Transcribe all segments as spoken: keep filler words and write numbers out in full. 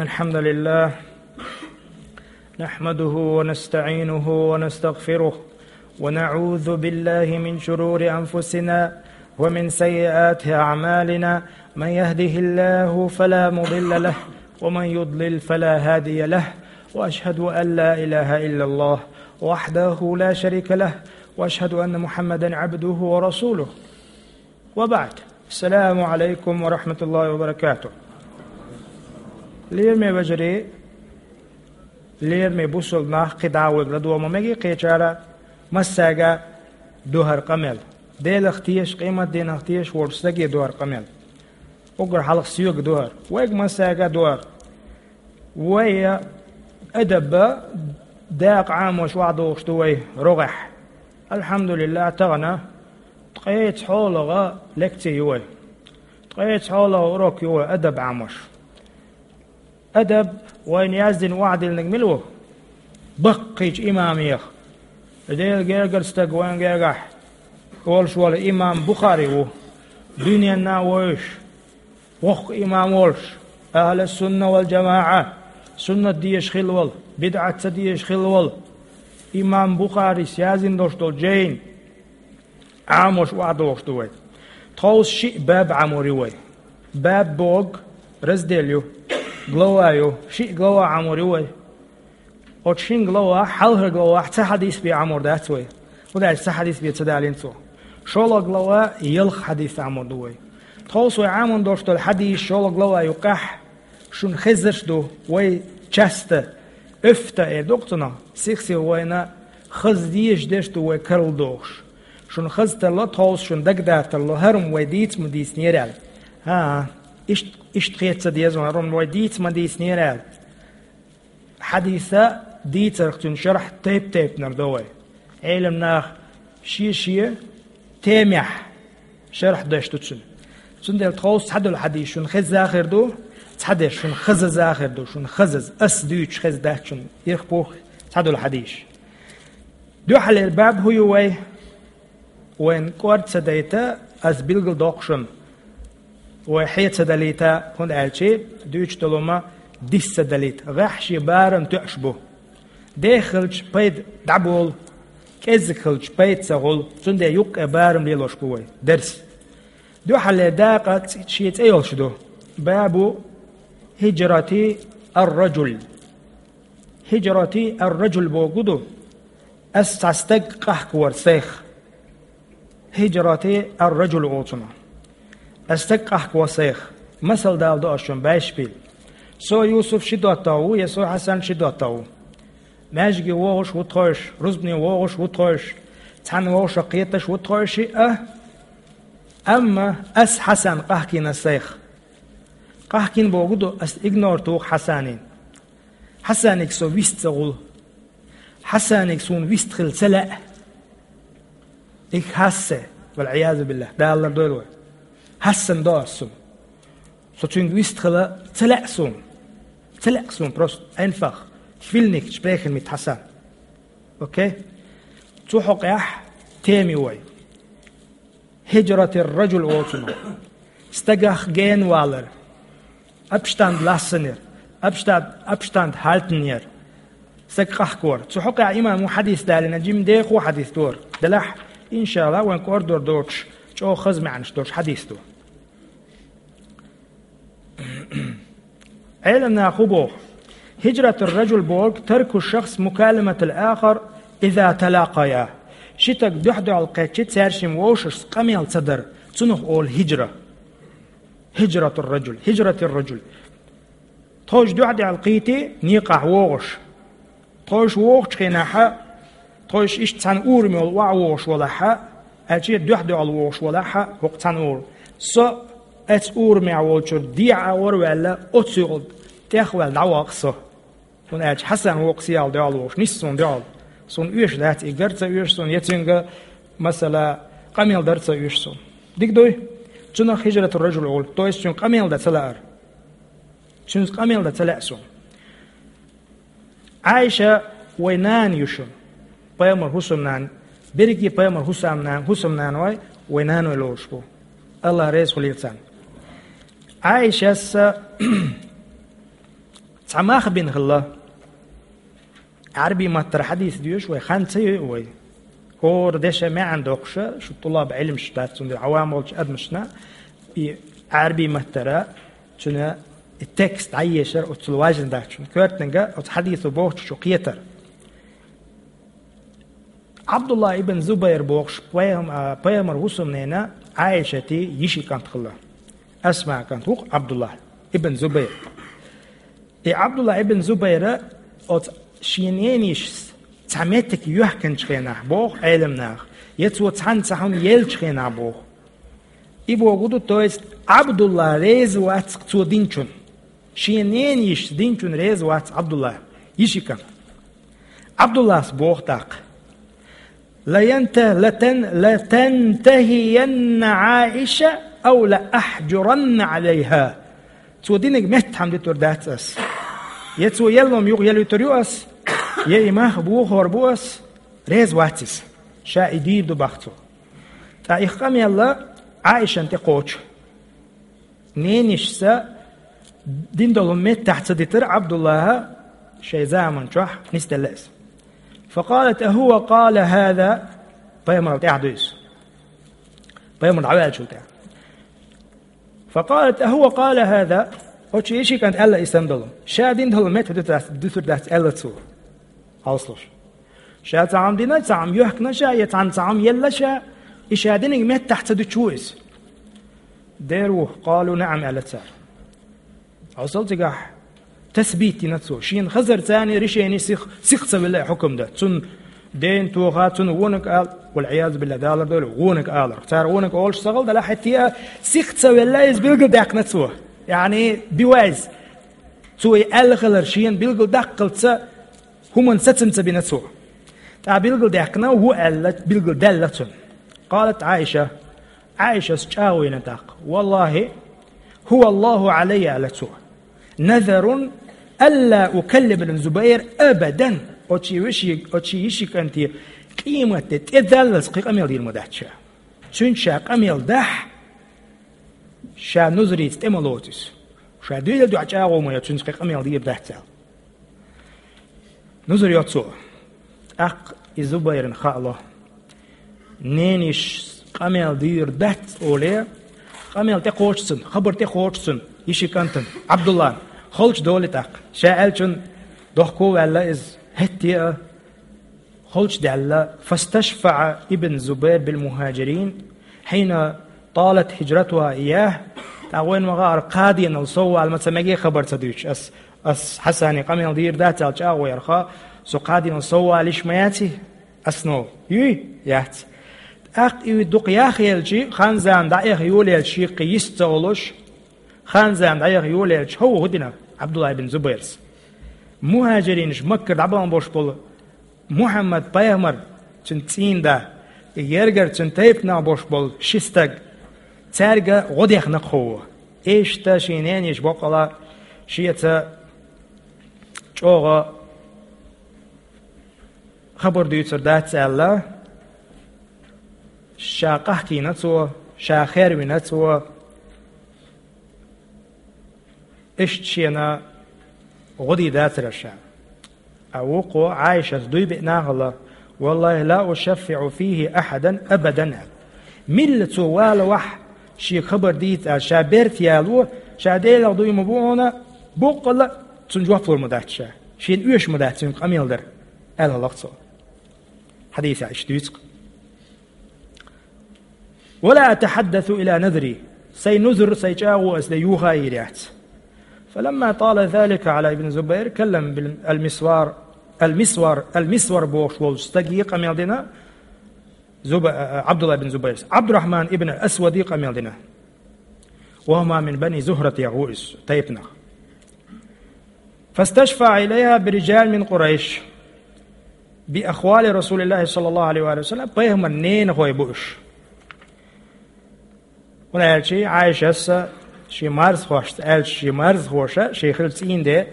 الحمد لله، نحمده ونستعينه ونستغفره، ونعوذ بالله من شرور أنفسنا ومن سيئات أعمالنا. من يهده الله فلا مضل له، ومن يضلل فلا هادي له، وأشهد أن لا إله إلا الله وحده لا شريك له، وأشهد أن محمدا عبده ورسوله. وبعد. السلام عليكم ورحمة الله وبركاته. Лераме вежарий, лераме бусалба нах, кхидӀа а вайга ладувгӀа ма мегий кхечара, массаьга духар къамел. Делах тешаш, къематдийнах тешаш волча сага духар къамел. Уггар хьалха соьга духар. Вайга массаьга духар. Вай адаб дакъа Ӏамош охьадохуш ду вай рогӀехь. Алхьамдулиллахь, тахана ткъеца хьолагӀа лекци ю вай. Ткъеца хьолагӀа урок ю вай адаб Ӏамош. Адаб вайна яздина охьадиллинарг мила ву? Баккхийчу имамех. Делан гергара стаг вайна гергахь волуш волу имам Бухари ву. Дуьненна а вевзаш, воккха имам волуш, ахьлу сунна вал джамаӀа, суннат дезаш хилла волу, бидӀат ца дезаш хилла волу имам Бухарис яздина долуш долу жайна Ӏамош охьадохуш ду вай. Тховса шиъ баб Ӏамор ю вай. Баб бохург раздел ю, глава ю, шиъ глава Ӏамор ю вай. Оцу шина главахь, хьалхара главахь цхьа хьадис бен Ӏамор дац вай. ХӀунда аьлча цхьа хьадис бен ца далийна цо. ШолгӀа глава ялх хьадис Ӏамор ду вай. Тховса вай Ӏамор долуш долу хьадис шолгӀа глава юккъехь шуна хезарш ду, вай часто, оьфта эр ду-кх цунах, сих-сиха вайна хаза дезаш дерш ду вай карладохуш. Шуна хаза тарло, тховса шуна дагадатарло, хӀара хӀума вай дийца ма дийцинера аьлла. ХӀан-хӀа, иштта, иштта хета ца деза вайн, хӀара хӀума вай дийца ма дийцинера аьлла. Хьадиса дийцарх цуьнан шархь тайп-тайпанара до вай. Ӏеламнаха шен-шен темехь шархь деш ду цуьнан. Цундела тховса цхьадолу хьадис шуна хезна хир ду, цхьадерш шуна хазаза хир ду, шуна хазаза, ас дуьйцуш хезна дац шуна ирх-пух цхьадолу хьадисаш. Дуьххьарлера баб хӀун ю вай? Вайн кӀорда ца дайта, ас билгал доккху шуна. Вай хье ца далийта, хӀунда аьлча дуьйцуш долу хӀума дис ца далийта. ГӀеххьа шен барам тоьуш бу. Деха хилча пайда дӀаболу, кӀеззиг хилча пайда ца хуьлу, цундела юккъе барам лелош бу вай, дарс. Дуьххьарлера дакъа ц-, шен цӀе йолуш ду. Бабу хӀиджрати ар-раджул. ХӀиджрати ар-раджул бохург ду, ас цхьа стаг къахкавар сайх. ХӀиджрати ар-раджул олу цунах. Ас стаг къахкавар сайх. Масал дала до ас шуна, байшпил. Со Юсуф ши доттагӀа ву, я со Хьасан ши доттагӀа ву. Маьждиге вогӀуш ву тхойша, рузбане вогӀуш ву тхойша, цхьаьна вовшах кхеташ ву тхойша шиъ а. Амма ас Хьасан къахкийна сайх. Къахкийна бохург ду, ас игнор туху Хьасанин. Хьасанига со вист ца хуьлу. Хьасанига суна вист хила ца лаьа. Их хьассе, вал-Ӏиязу биллахь, Дала лардойла вай. Хьассан до ас цунна. Со цуьнга вист хила ца лаьа суна. Ца лаьа суна просто. Айнфах. Филник, шпрехен мит Хьасан. Окей? Цу хьокъехь тема ю вай. ХӀиджратир-раджул олу цунах. Стагах генавалар. Абштанд лассанер. Абштанд, абштанд хьалтанер. Стаг къахкор. Цу хьокъехь имамо хьадис далийна, жима дехо хьадис дора. Делахь, иншалла, вайн кӀордор доцуш, чӀогӀа хаза маьӀнаш долуш хьадис ду. Ӏеламнаха хӀун боху? ХӀиджратур-раджул бохург тарку шахс мукаламатал ахар иза талакъая. Ши стаг дуьхь-дуьхьал кхеччи цаьршимма вовшашца къамел ца дар, цунах олу хӀиджра. ХӀиджратур-раджул, хӀиджратир-раджул. Тхойша дуьхь-дуьхьал кхийти некъахь вогӀуш. Тхойша вогӀучу хенахьа, тхойша иштта цхьана ураме йолу охьавогӀуш валахьа, аьлча дуьхь-дуьхьал вогӀуш валахьа, хӀокху цхьана ур-, со оцу урамехь волчуьра дехьа а вара ваьлла, оцу юкъал тӀехваьлла дӀаваккха со. ХӀунда аьлча Хьасан воккха сиял дуьхьал вогӀуш, нисса суна дуьхьал. Суна оьшуш дац, и гар ца оьшу суна, я цуьнга, масала, къамел дар ца оьшу суна. Дика дуй? Цунах хӀиджратур-раджул олу, то есть цуьнга къамел дан ца лаар. Цуьнца къамел дан ца лаьа суна. Ӏайша вай нана ю шуна. Пайхамар хӀусамнана, берриге пайхамар хӀусамнана, хӀусамнана вай, вай наной лоруш бу. Аллах реза хуьлийла царна. Ӏайшас Цхьа мах бина хилла. Ӏарбий маттара хьадис доьшу вай, хан ца йой вай. ХӀора деша маьӀна доккхуша, шу тӀулаб Ӏилмаш дац, цундела Ӏавам волчу адамашна и Ӏарбий маттара цуьнан и текст дӀаешар оццул важна дац шуна. Коьртанга оцу хьадисо бохучу шу кхетар. Ӏабдулла ибн Зубайр бохуш пайхам-, а, пайхамар хӀусамнена Ӏайшати йиши кӀант хилла. Асма кӀант ву-кх Ӏабдулла ибн Зубайр. И Ӏабдулла ибн Зубайра оцу шен нениш цхьа меттиг йоьхкинчу хенахь боху Ӏеламнаха, я цо цхьаьна цхьа хӀума еллачу хенахь боху. И боху ду, то есть Ӏабдулла реза вац цо динчун. Шен нениш динчун реза вац Ӏабдулла, йиши кӀант. Ӏабдуллас боху тӀаккха: «Лаянта-, латан-, латантахиянна Ӏаиша ау лаахьжуранна Ӏалайха». Цо динарг меттахь хӀума дитур дац ас. Я цо елла хӀума юха елла вуьтур ю ас, я и мах бохор бу ас, реза вац иза. Ша и дийр ду боху цо. ТӀаккха и къамел Ӏайшана тӀе кхочу. Ненишца дина долу хӀума меттахь ца дитира Ӏабдуллаха шайн заман чохь, нисделла иза. «Факъалат: ахӀува къала хӀаза?» Пайхамарал тӀаьхьа ду иза. Пайхамар дӀаваьллачул тӀаьхьа. «Факъалат: ахӀува къала хӀаза?» Оцу йиши кӀант аьлла и санна долу. Ша дина долу меттахь дуьсур дац, дуьсур дац аьлла цо. Хьовсалуш. Ша цхьа хӀума дина, цхьа хӀума йоьхкина ша, я цхьаьна цхьа хӀума елла ша, и ша динарг меттахь ца дуьтуш ву иза. Дера ву, къалу наӀам, аьлла цара. Хьовсал цигахь, тасбит йина цо. Шена хазар царна решени сих, сих ца вилла хьукам дан. Цунна ден тоха, цунна вониг ала, вал-Ӏиязу биллахӀ, Дала лардойла, вониг алар. Цара вониг олуш ца хала далахь, хӀетте а сих ца велла иза билгалдаьккхина цо. Яъни, бивайз. Цо и аьлла хилар шена билгалдаккхалца, хӀуманна сацам ца бина цо. ТӀаккха билгалдаьккхина ву аьлла, билгалдаьлла цунна. Къалат Ӏайша, Ӏайшас чӀагӀо йина тӀаккха: «ВаллахӀи, хӀува АллахӀу Ӏалайя», аьлла цо. «Назарун алла укаллима ибн Зубайр абадан». Оцу йиши, оцу йиши кӀанте къематде тӀедаллалц кхин къамел дийр ма дац ша. Цуьнца ша къамел дахь, ша нузрица тӀе ма лоцу иза. Ша дуьйла дуьхьа чӀагӀо ма йо, цуьнца кхин къамел дийр дац аьлла. Нузар йо цо. ТӀаккха и Зубайрна хаало. Нениш къамел дийр дац оле, къамел тӀекхочу цунна, хабар тӀекхочу цунна, йиши кӀантана, Ӏабдуллана. Холчу долу тӀаккха. Ша аьллачун дохко а ваьлла иза, хӀетте а холчу даьлла. «ФасташфаӀа ибн Зубайр бил мухӀажирин, хьина талат хӀижратуха ийяхӀ». ТӀаккха вайна ма хаара, кхаденал соввала ма ца меге хабар ца дуьйцуш. Ас, ас Хьасане къамел дийр дац аьлла чӀагӀо ярха, со кхаденал соввала йиш ма яций? Ас нов. Юй? Яц. ТӀаккха и дукха яхъелчи, хан-зама дӀаэха йолаелчи, кхин йист ца олуш, хан-зама дӀаэха йолаелчи, хӀун ву хӀун дина Ӏабдулла ибн Зубайрс? МухӀажиринаш, Маккара дӀабахана бош болу Мухьаммад пайхамар, цуьнан цӀийнда, и гергара цуьнан тайпанах бош болу ши стаг, цаьрга гӀо дехна кхо. Иштта шен ненеш боккъала шеца чӀогӀа хабар дуьйцур дац аьлла, ша къахкийна цо, ша хервина цо. Иштта шена гӀо дийр дацара ша. А вукхо Ӏайшас дуй беъна хилла: «ВаллахӀи, ла ушаффиӀу фихӀи ахьадан абадан», – аьлла. Милла цо валавахь, шега хабар дийца аьлла, ша берта яло, ша Делах дуй ма бу хьуна, боккъала цунна жоп лур ма дац ша. Шена оьшу ма дац цуьнга къамел дар, аьлла хилла-кх цо. Хьадисехь иштта дуьйцу-кх. «Ва ла атахьаддасу иля назри», сайн нузар, сайн чӀагӀо ас де юха йийр яц. «Фаламма тала залика Ӏала ибн Зубайр, каллама бил-, ал-Мисвар, ал-Мисвар, ал-Мисвар бохуш волчу стаге къамел дина, Зуба-, а, а, Ӏабдулла ибн Зубайрс, Ӏабдуррахьман ибн Асваде къамел дина. Ва хӀума мин бани Зухрат, яхӀу иза, тайпанах. ФасташфаӀа илайхӀа би рижал мин Къурайш, би ахвали Расулиллахи саллаллаху Ӏалайхи ва саллам, пайхамар ненахой бу уьш». ХӀунда аьлча Ӏайшас шен марзахошца аьлча, шен марзахоша, шен хилла цӀийнде,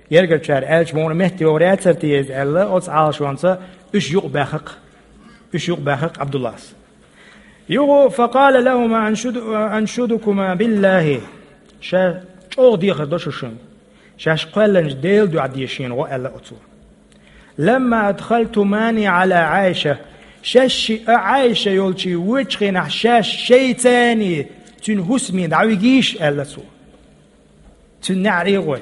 гергарчара аьлча, муха метта йогӀур яцара те иза аьлла, оцу Ӏалашонца уьш юкъабаьхна-кх, уьш юкъабаьхна-кх Ӏабдуллас. Юха, факъала лахӀума: «Аншуду-, аншудукума биллахӀи». Ша чӀогӀа дехар до шу шуна. Шаьш кхоьллинчу Делан дуьхьа де шена гӀо, аьлла оцо. «لما أدخلتماني على عائشة». Шаьш шиъ а Ӏайша йолчу вочу хенахь шаьш шайца цуьнан хӀусаме дӀавигийша, аьлла цо. Цуьнан неӀаре гӀой.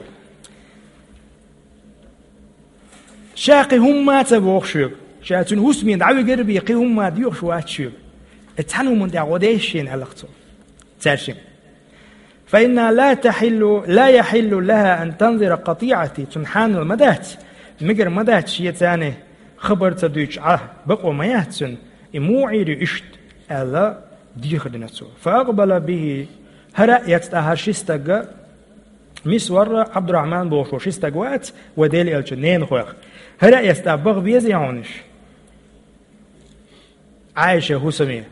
Ша кхин хӀумма а ца боху шуьга. Ша цуьнан хӀусаме дӀавигар бен кхин хӀумма а доьхуш вац шуьга. И цхьана хӀуманна тӀехь гӀо деш шена, аьлла цо. Цаьршимма. «فإنها لا تحل، لا يحل لها أن تنظر قطيعتي». Цунна хьанал ма дац, мегар ма дац шеца цхьаьна хабар ца дуьйцуш Ӏа, бакъо ма яц цуьнан, и муха Ӏийр ю иштта, аьлла, дехар дина цо. «فأقبل به». ХӀара а эцна хӀара ши стаг, Мисвар а, Ӏабдурахьман бохуш ши стаг вац, вай Делан элчан ненахойх. ХӀара а эцна баха безий хьуна уьш? Ӏайша хӀусаме.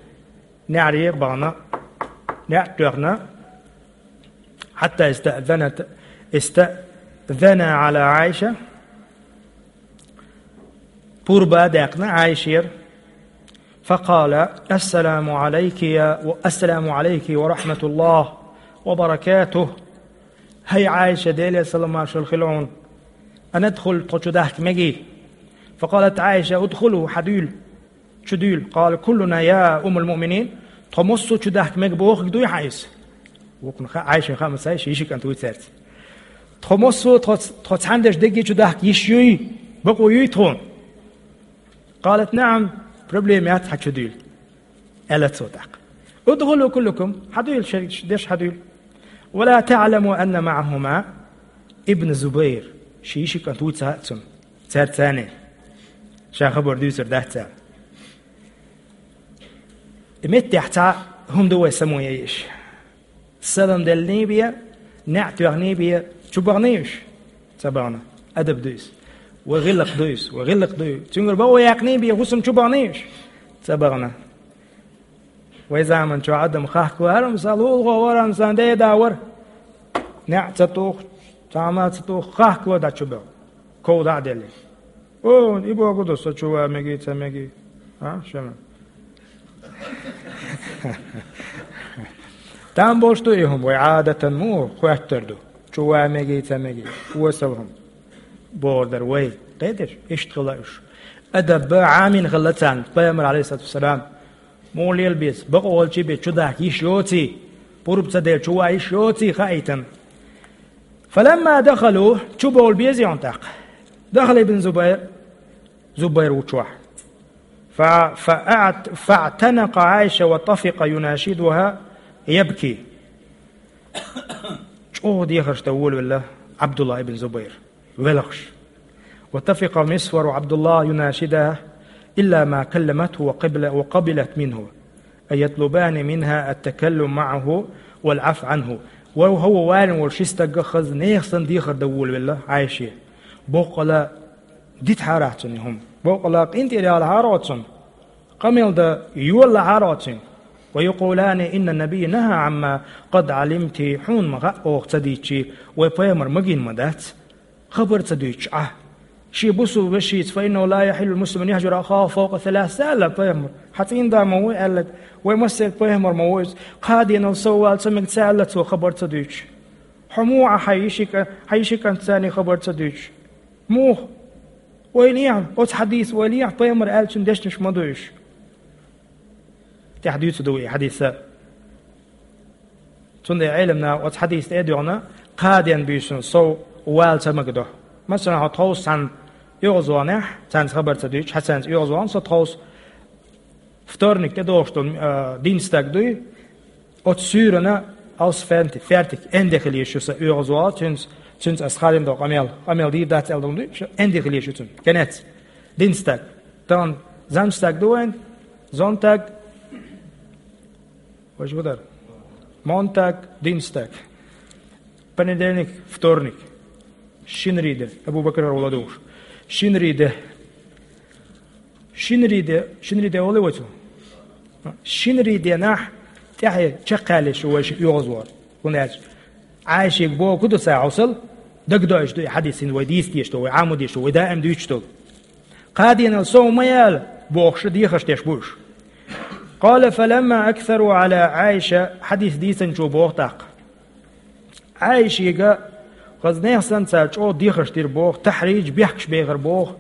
НеӀаре бахана, неӀ тоьхна. «حتى استأذنت، استأذنا على عائشة». Пурба а даьккхина Ӏайшера. «فقال: السلام عليك يا، السلام عليك ورحمة الله وبركاته». ХӀай Ӏайша, Делера салам-маршалла хуьлда хьуна. «أندخل، тхо чу дахка мегий?» «فقالت عائشة: ادخلوا، хьадуьйла, чу дуьйла». «قال: كلنا يا أم المؤمنين». «Тхо массо а чу дахка мега бохург дуй хьан иза?» Вукхунна хаьа, Ӏайшина хаьа ма ца, ши йиши кӀант вуй цаьрца. «Тхо массо а, тхо, тхо цхьаьна дерш дерриге чу дахка йиш юй, бакъо юй тхуна?» «قالت: نعم, проблема яц, хьан чу дуьйла», аьлла цо тӀаккха. «ادخلوا كلكم, хьадуьйла, шаьш дерш хьадуьйла». «ولا تعلم أن معهما ابن الزبير». Ши йиши кӀант вуй ца хаьа цунна. Цаьрца цхьаьна. Ша хабар дуьйцур дац цара. И меттехь цхьа хӀума ду вай само яйиш. Салам деллий бен, неӀ тоьхний бен, чу баханий уьш? Ца бахана. Адаб ду иза. Вай гӀиллакх ду иза, вай гӀиллакх ду иза. Цуьнгара бакъо яьккхиний бен, хӀусам чу баханий уьш? Ца бахана. Вай заман чохь адам хахкало, хӀара-м сан лулахо вара, хӀара-м сан деда вара. НеӀ ца туху, цхьа а ма ца туху, хахкало дӀа чу баха. Ков дӀа а делла. О, и бохург ду, со чу ван мегий, ца мегий. А, шуна. Там болуш ду и хӀума, вай Ӏадатан муха хоьттур ду. Чу ван мегий, ца мегий. Осал хӀума. Бохур дара вай. Кхеташ? Иштта хилла уьш. Адаб Ӏамийна хилла царна, пайхамар, алейхиссалату вассалам. Муха лела беза, бакъо волчий бен чу дахка йиш йоций, пурба ца делла чу ван йиш йоций хаийтина. «فلما دخلوا», чу бовла безий хьуна тӀаккха. «دخل ابن الزبير», Зубайр ву чохь. «ف، فأعت، فاعتنق عائشة وطفق يناشدها يبكي». ЧӀогӀа дехарш дан волавелла Ӏабдулла ибн Зубайр. Велхаш. «وطفق مسور وعبد الله يناشدها إلا ما كلمته وقبل، وقبلت منه، أي يطلبان منها التكلم معه والعفو عنه». Ва хӀавва варна волу ши стагга хаза нехан санна дехар дан волавелла Ӏайше. Боккъала дитахьара цунна и хӀума. Боккъала къинтӀера ялахьара оцунна. Къамел дан йолалахьара оцунна. «ويقولان إن النبي نهى عما قد علمت», хьуна ма хаьа оха ца дийцчи, вай пайхамар магийна ма дац. Хабар ца дуьйцуш Ӏа. Шен бусулба вешица, «فإنه لا يحل لمسلم أن يهجر أخاه فوق ثلاث», аьлла пайхамар. Хьан цӀийнда ма ву аьлларг, вай массеран пайхамар ма ву иза. Кхаа денал сов вала ца мега ца аьлла цо хабар ца дуьйцуш. Хьо муха Ӏа хьайн йиши кӀа-, хьайн йиши кӀантаца хабар ца дуьйцуш? Муха? Вай лехьа, оцу хьадийса вай лехьа пайхамар аьллачун дешнаш ма ду уьш. ТӀаьхьа дуьйцур ду и хьадиса. Цундела Ӏеламнаха оцу хьадийса тӀе а доьгӀна, кхаа ден буьйсанна сов вала ца магадо. Масала, хьо тховса цхьана оьгӀазвахнехь, цаьрца хабар ца дуьйцуш, хьан цаьрца оьгӀазвахна со тховса, вторник тӀедогӀуш долу, а, дин стаг дуй, оцу суьйранна алс фенти, фертик, энде хила езаш ю сан оьгӀазвахар, цуьнца, цуьнца ас хадийна долу къамел, къамел дийр дац аьлла долу дуй, шу энде хила езаш ю цуьнан. Кенец. Дин стаг. Тахана занч стаг ду вайн, зонтаг, важа хӀу дара? Монтаг, дин стаг. Понедельник, вторник. Шинарий де. Абу Бакр хӀара вала дугӀуш. Шинарий де. Шинарий де, шинарий де олу вай цу? Шинарий денахь тӀаьхье чекхъяьллаш ю вай ши оьгӀазвахар. ХӀунда аьлча Ӏайшега бохург ду цара хьовсал, дагадоуьйтуш ду и хьадис, хӀинца вай дийца дезаш долу, вай Ӏамо дезаш долу, вай даим дуьйцуш долу. Кхаа денал сов ма яла бохуш дехаш деш бу уьш. «قال: فلما أكثروا على عائشة», хьадис дийцинчо боху тӀаккха. Ӏайшега Хаза нехан санна цара чӀогӀа дехарш дира боху, тахьридж, бехкаш бехар боху,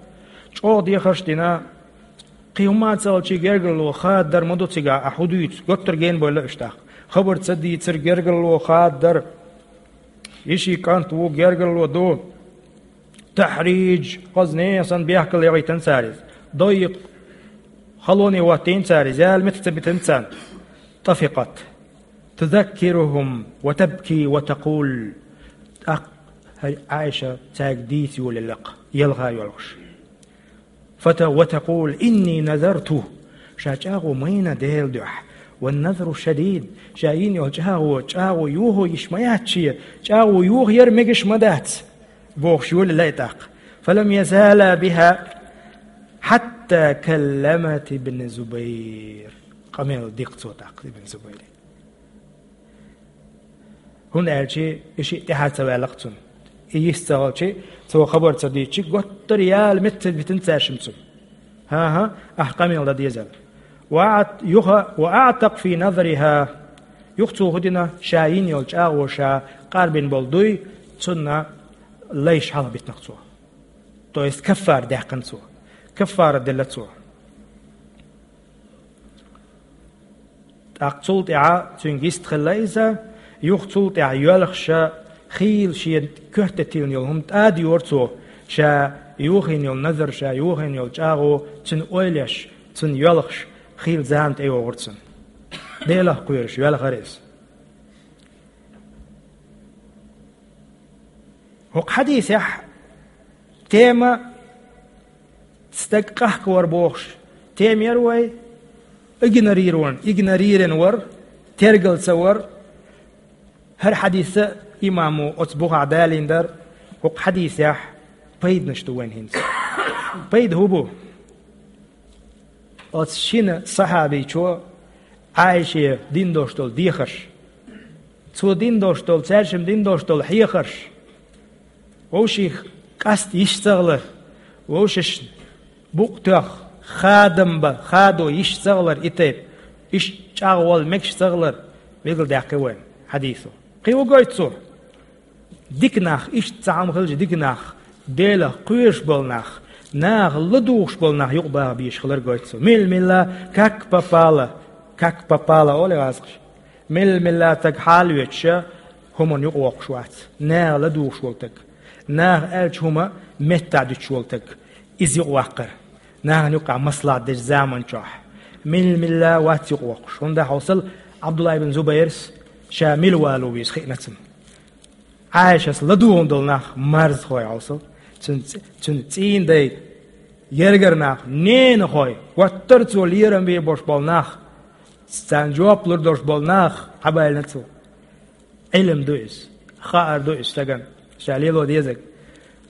чӀогӀа дехарш дина, кхин хӀумма а ца хилча гергарло хададар ма ду цигахь, ахь хӀун дуьйцу, готтар гена бойла уьш тӀаккха. Хабар ца дийцар, гергарло хададар, и ши кӀант ву, гергарло ду, тахьридж, хаза нехан санна бехкал яхийтина цара иза. Дайикъ, халоне хӀоттийна цара иза, яла меттиг ца битина царна. طفقت تذكرهم وتبكي وتقول. ТӀаккха хӀара Ӏайша цаьрга дийца йолаелла-кх, ялха йоьлхуш. فت-، وتقول: إني نذرت. Ша чӀагӀо майна Делан дуьхьа. والنذر شديد. Ша йина йолу чӀагӀо, чӀагӀо йохо йиш ма яц шен, чӀагӀо йохаяр мегаш ма дац, бохуш йолаелла тӀаккха. فلم يزالا بها حتى كلمت ابن الزبير. Къамел дира цо тӀаккха Ибн Зубайре. ХӀунда аьлча и шиъ тӀаьхьа ца ваьлла-кх цунна. И йист ца хилча, цо хабар ца дийцча, готтар яла меттиг ца битина цаьршимма цунна. ХӀан-хӀа, ахь къамел дан дезара. وأعت-، юха, وأعتق في نذرها. Юха цо хӀун дина, ша йина йолу чӀагӀо, ша къарбина болу дуй, цунна лайш хьалха битина-кх цо. То есть каффара даьккхина цо. Каффара делла цо. ТӀаккха цул тӀаьхьа цуьнга йист хилла иза, юха цул тӀаьхьа йоьлхуш, хийла шена коьртеттина йолу хӀума тӀадайора цо, ша йохийна йолу назар, ша йохийна йолу чӀагӀо, цуьнан ойла еш, цунна йоьлхуш, хийла зама тӀейогӀура цунна. Делах кхоьруш йоьлхура иза. ХӀокху хьадисехь тема стаг къахкавар бохуш, тема яра вай, игнорирован, игнорирован вар, тергал ца вар. ХӀара хьадис а имамо оцу бухахь далийна дара, хӀокху хьадисехь пайданаш ду вайн хӀинца. Пайда хӀун бу? Оцу шина сахьабичо Ӏайше дина долуш долу дехарш, цо дина долуш долу, цаьршимма дина долуш долу хьехарш, вовшийн къаста йиш ца хилар, вовшашна букъ тоьхна, хадам бан, хадо йиш ца хилар и тайпа, иштта чӀагӀвала мегаш ца хилар, билгалдаьккхи вайна хьадисо. Кхин хӀун гойту цо? Дика нах, иштта цхьа хӀума хилча дика нах, Делах кхоьруш болу нах, наха ладугӀуш болу нах юкъа баха безаш хилар гойту цо. Мила-мила, как попало, как попало олу гӀазкхаша. Мила-мила стаг хьалавоьдуш, хӀуманна юкъа воккхуш вац. Наха ладугӀуш волу стаг, наха аьллачу хӀума меттахь дуьтуш волу стаг, иза юкъа ваккхар. Нахана юкъахь маслахьат дечу заман чохь мила-мила вац юкъа воккхуш. ХӀунда хьовсал, Ӏабдулла ибн Зубайрс ша мила вало веза хиъна цунна. Ӏайшас ладугӀун долу нах марзхой хьовсал. Цуьнан цӀ-, цуьнан цӀийнан дай, гергара нах, ненахой, гуттар а цо лерам бе болуш болу нах, царна жоп лур долуш болу нах хьабаьллина цо. Ӏилм ду иза, хаар ду иза стагана, ша лело дезарг.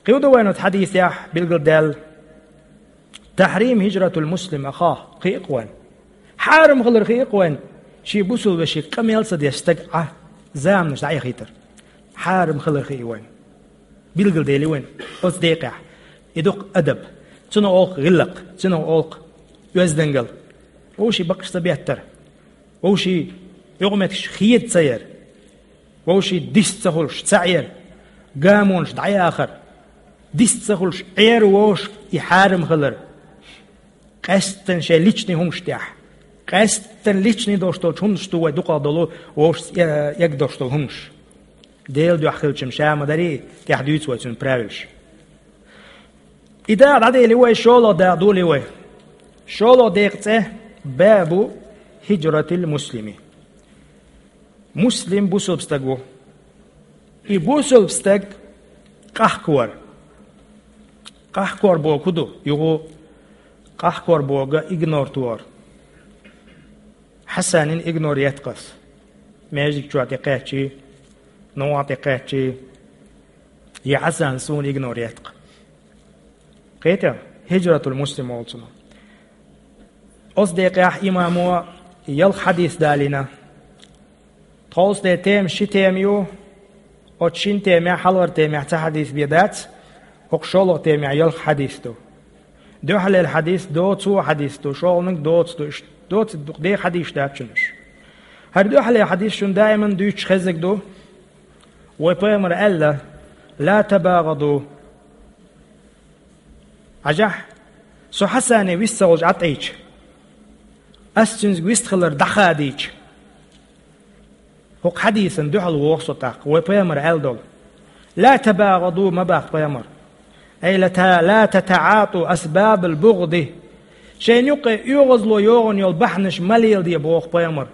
Кхин хӀун ду вайна оцу хьадисехь билгалдаьлла? تحريم هجرة المسلم أخاه, кхин а кхин вайна. Хьарам хилар кхин а кхин вайна, шен бусулба вешин къамел ца деш стаг Ӏа заманаш дӀаэхийтар. Хьарам хилар кхин а вайна. Билгалдели вайна оцу декъехь. И ду-кх адаб. Цунах олу-кх гӀиллакх, цунах олу-кх оьздангалла. Вовшийн бакъаш ца беттар. Вовшийн юкъаметтигаш хеда ца яр. Вовшийн дис ца хуьлуш, ца Ӏер, гамонаш дӀаяхар, дис ца хуьлуш, Ӏер вовшах и хьарам хилар, къаьсттина шайн личный хӀуманаш тӀехь, къаьсттина личный долуш долчу хӀуманаш ду вай дукхах долу вовшашца э-, эгна долуш долу хӀуманаш. Делан дуьхьа хилча-м ша ма дарий, тӀехь дуьйцу вай цуьнан правилаш. И дакъа дӀадели вай, шолгӀа дакъа доли вай. ШолгӀа декъан цӀе باب هجرة المسلم. Муслим бусулба стаг ву. И бусулба стаг къахкавар. Къахкор бохург хӀун ду? Юха къахкор бохург игнор тохар. Хьасанна игнор етта-кх ас. Маьждиг чохь тӀекхаьччий, нохча тӀекхаьччий, я Хьасан суна игнор етта-кх. Кхетий? Хиджратул муслим олу цунах. Оцу декъехь имамо ялх хьадис далийна. Тховсале тема ши тема ю, оцу шина темехь, хьалхара темехь цхьа хьадис бен дац, хӀокху шолгӀа темехь ялх хьадис ду. Дуьхьалера хьадис доцо хьадис ду, шолгӀаниг доцу ду, иштта доцу дукха ден хьадисаш дац шуна уьш. ХӀара дуьхьалера хьадис шуна даиман дуьйцуш хезнарг ду. Вай пайхамара аьлла: لا تباغضوا. Хьажахь, со Хьасане вист ца хуьлуш Ӏатайча, ас цуьнга вист хилар дӀахадийча, хӀокху хьадисан дуьхьал воху со тӀаккха, вай пайхамар аьлла долу: لا تباغضوا, ма боху пайхамар. أي لا ت-, لا تتعاطوا أسباب البغض. Шайна юккъе оьгӀазло йогӀун йолу бахьанаш ма леладе боху пайхамар.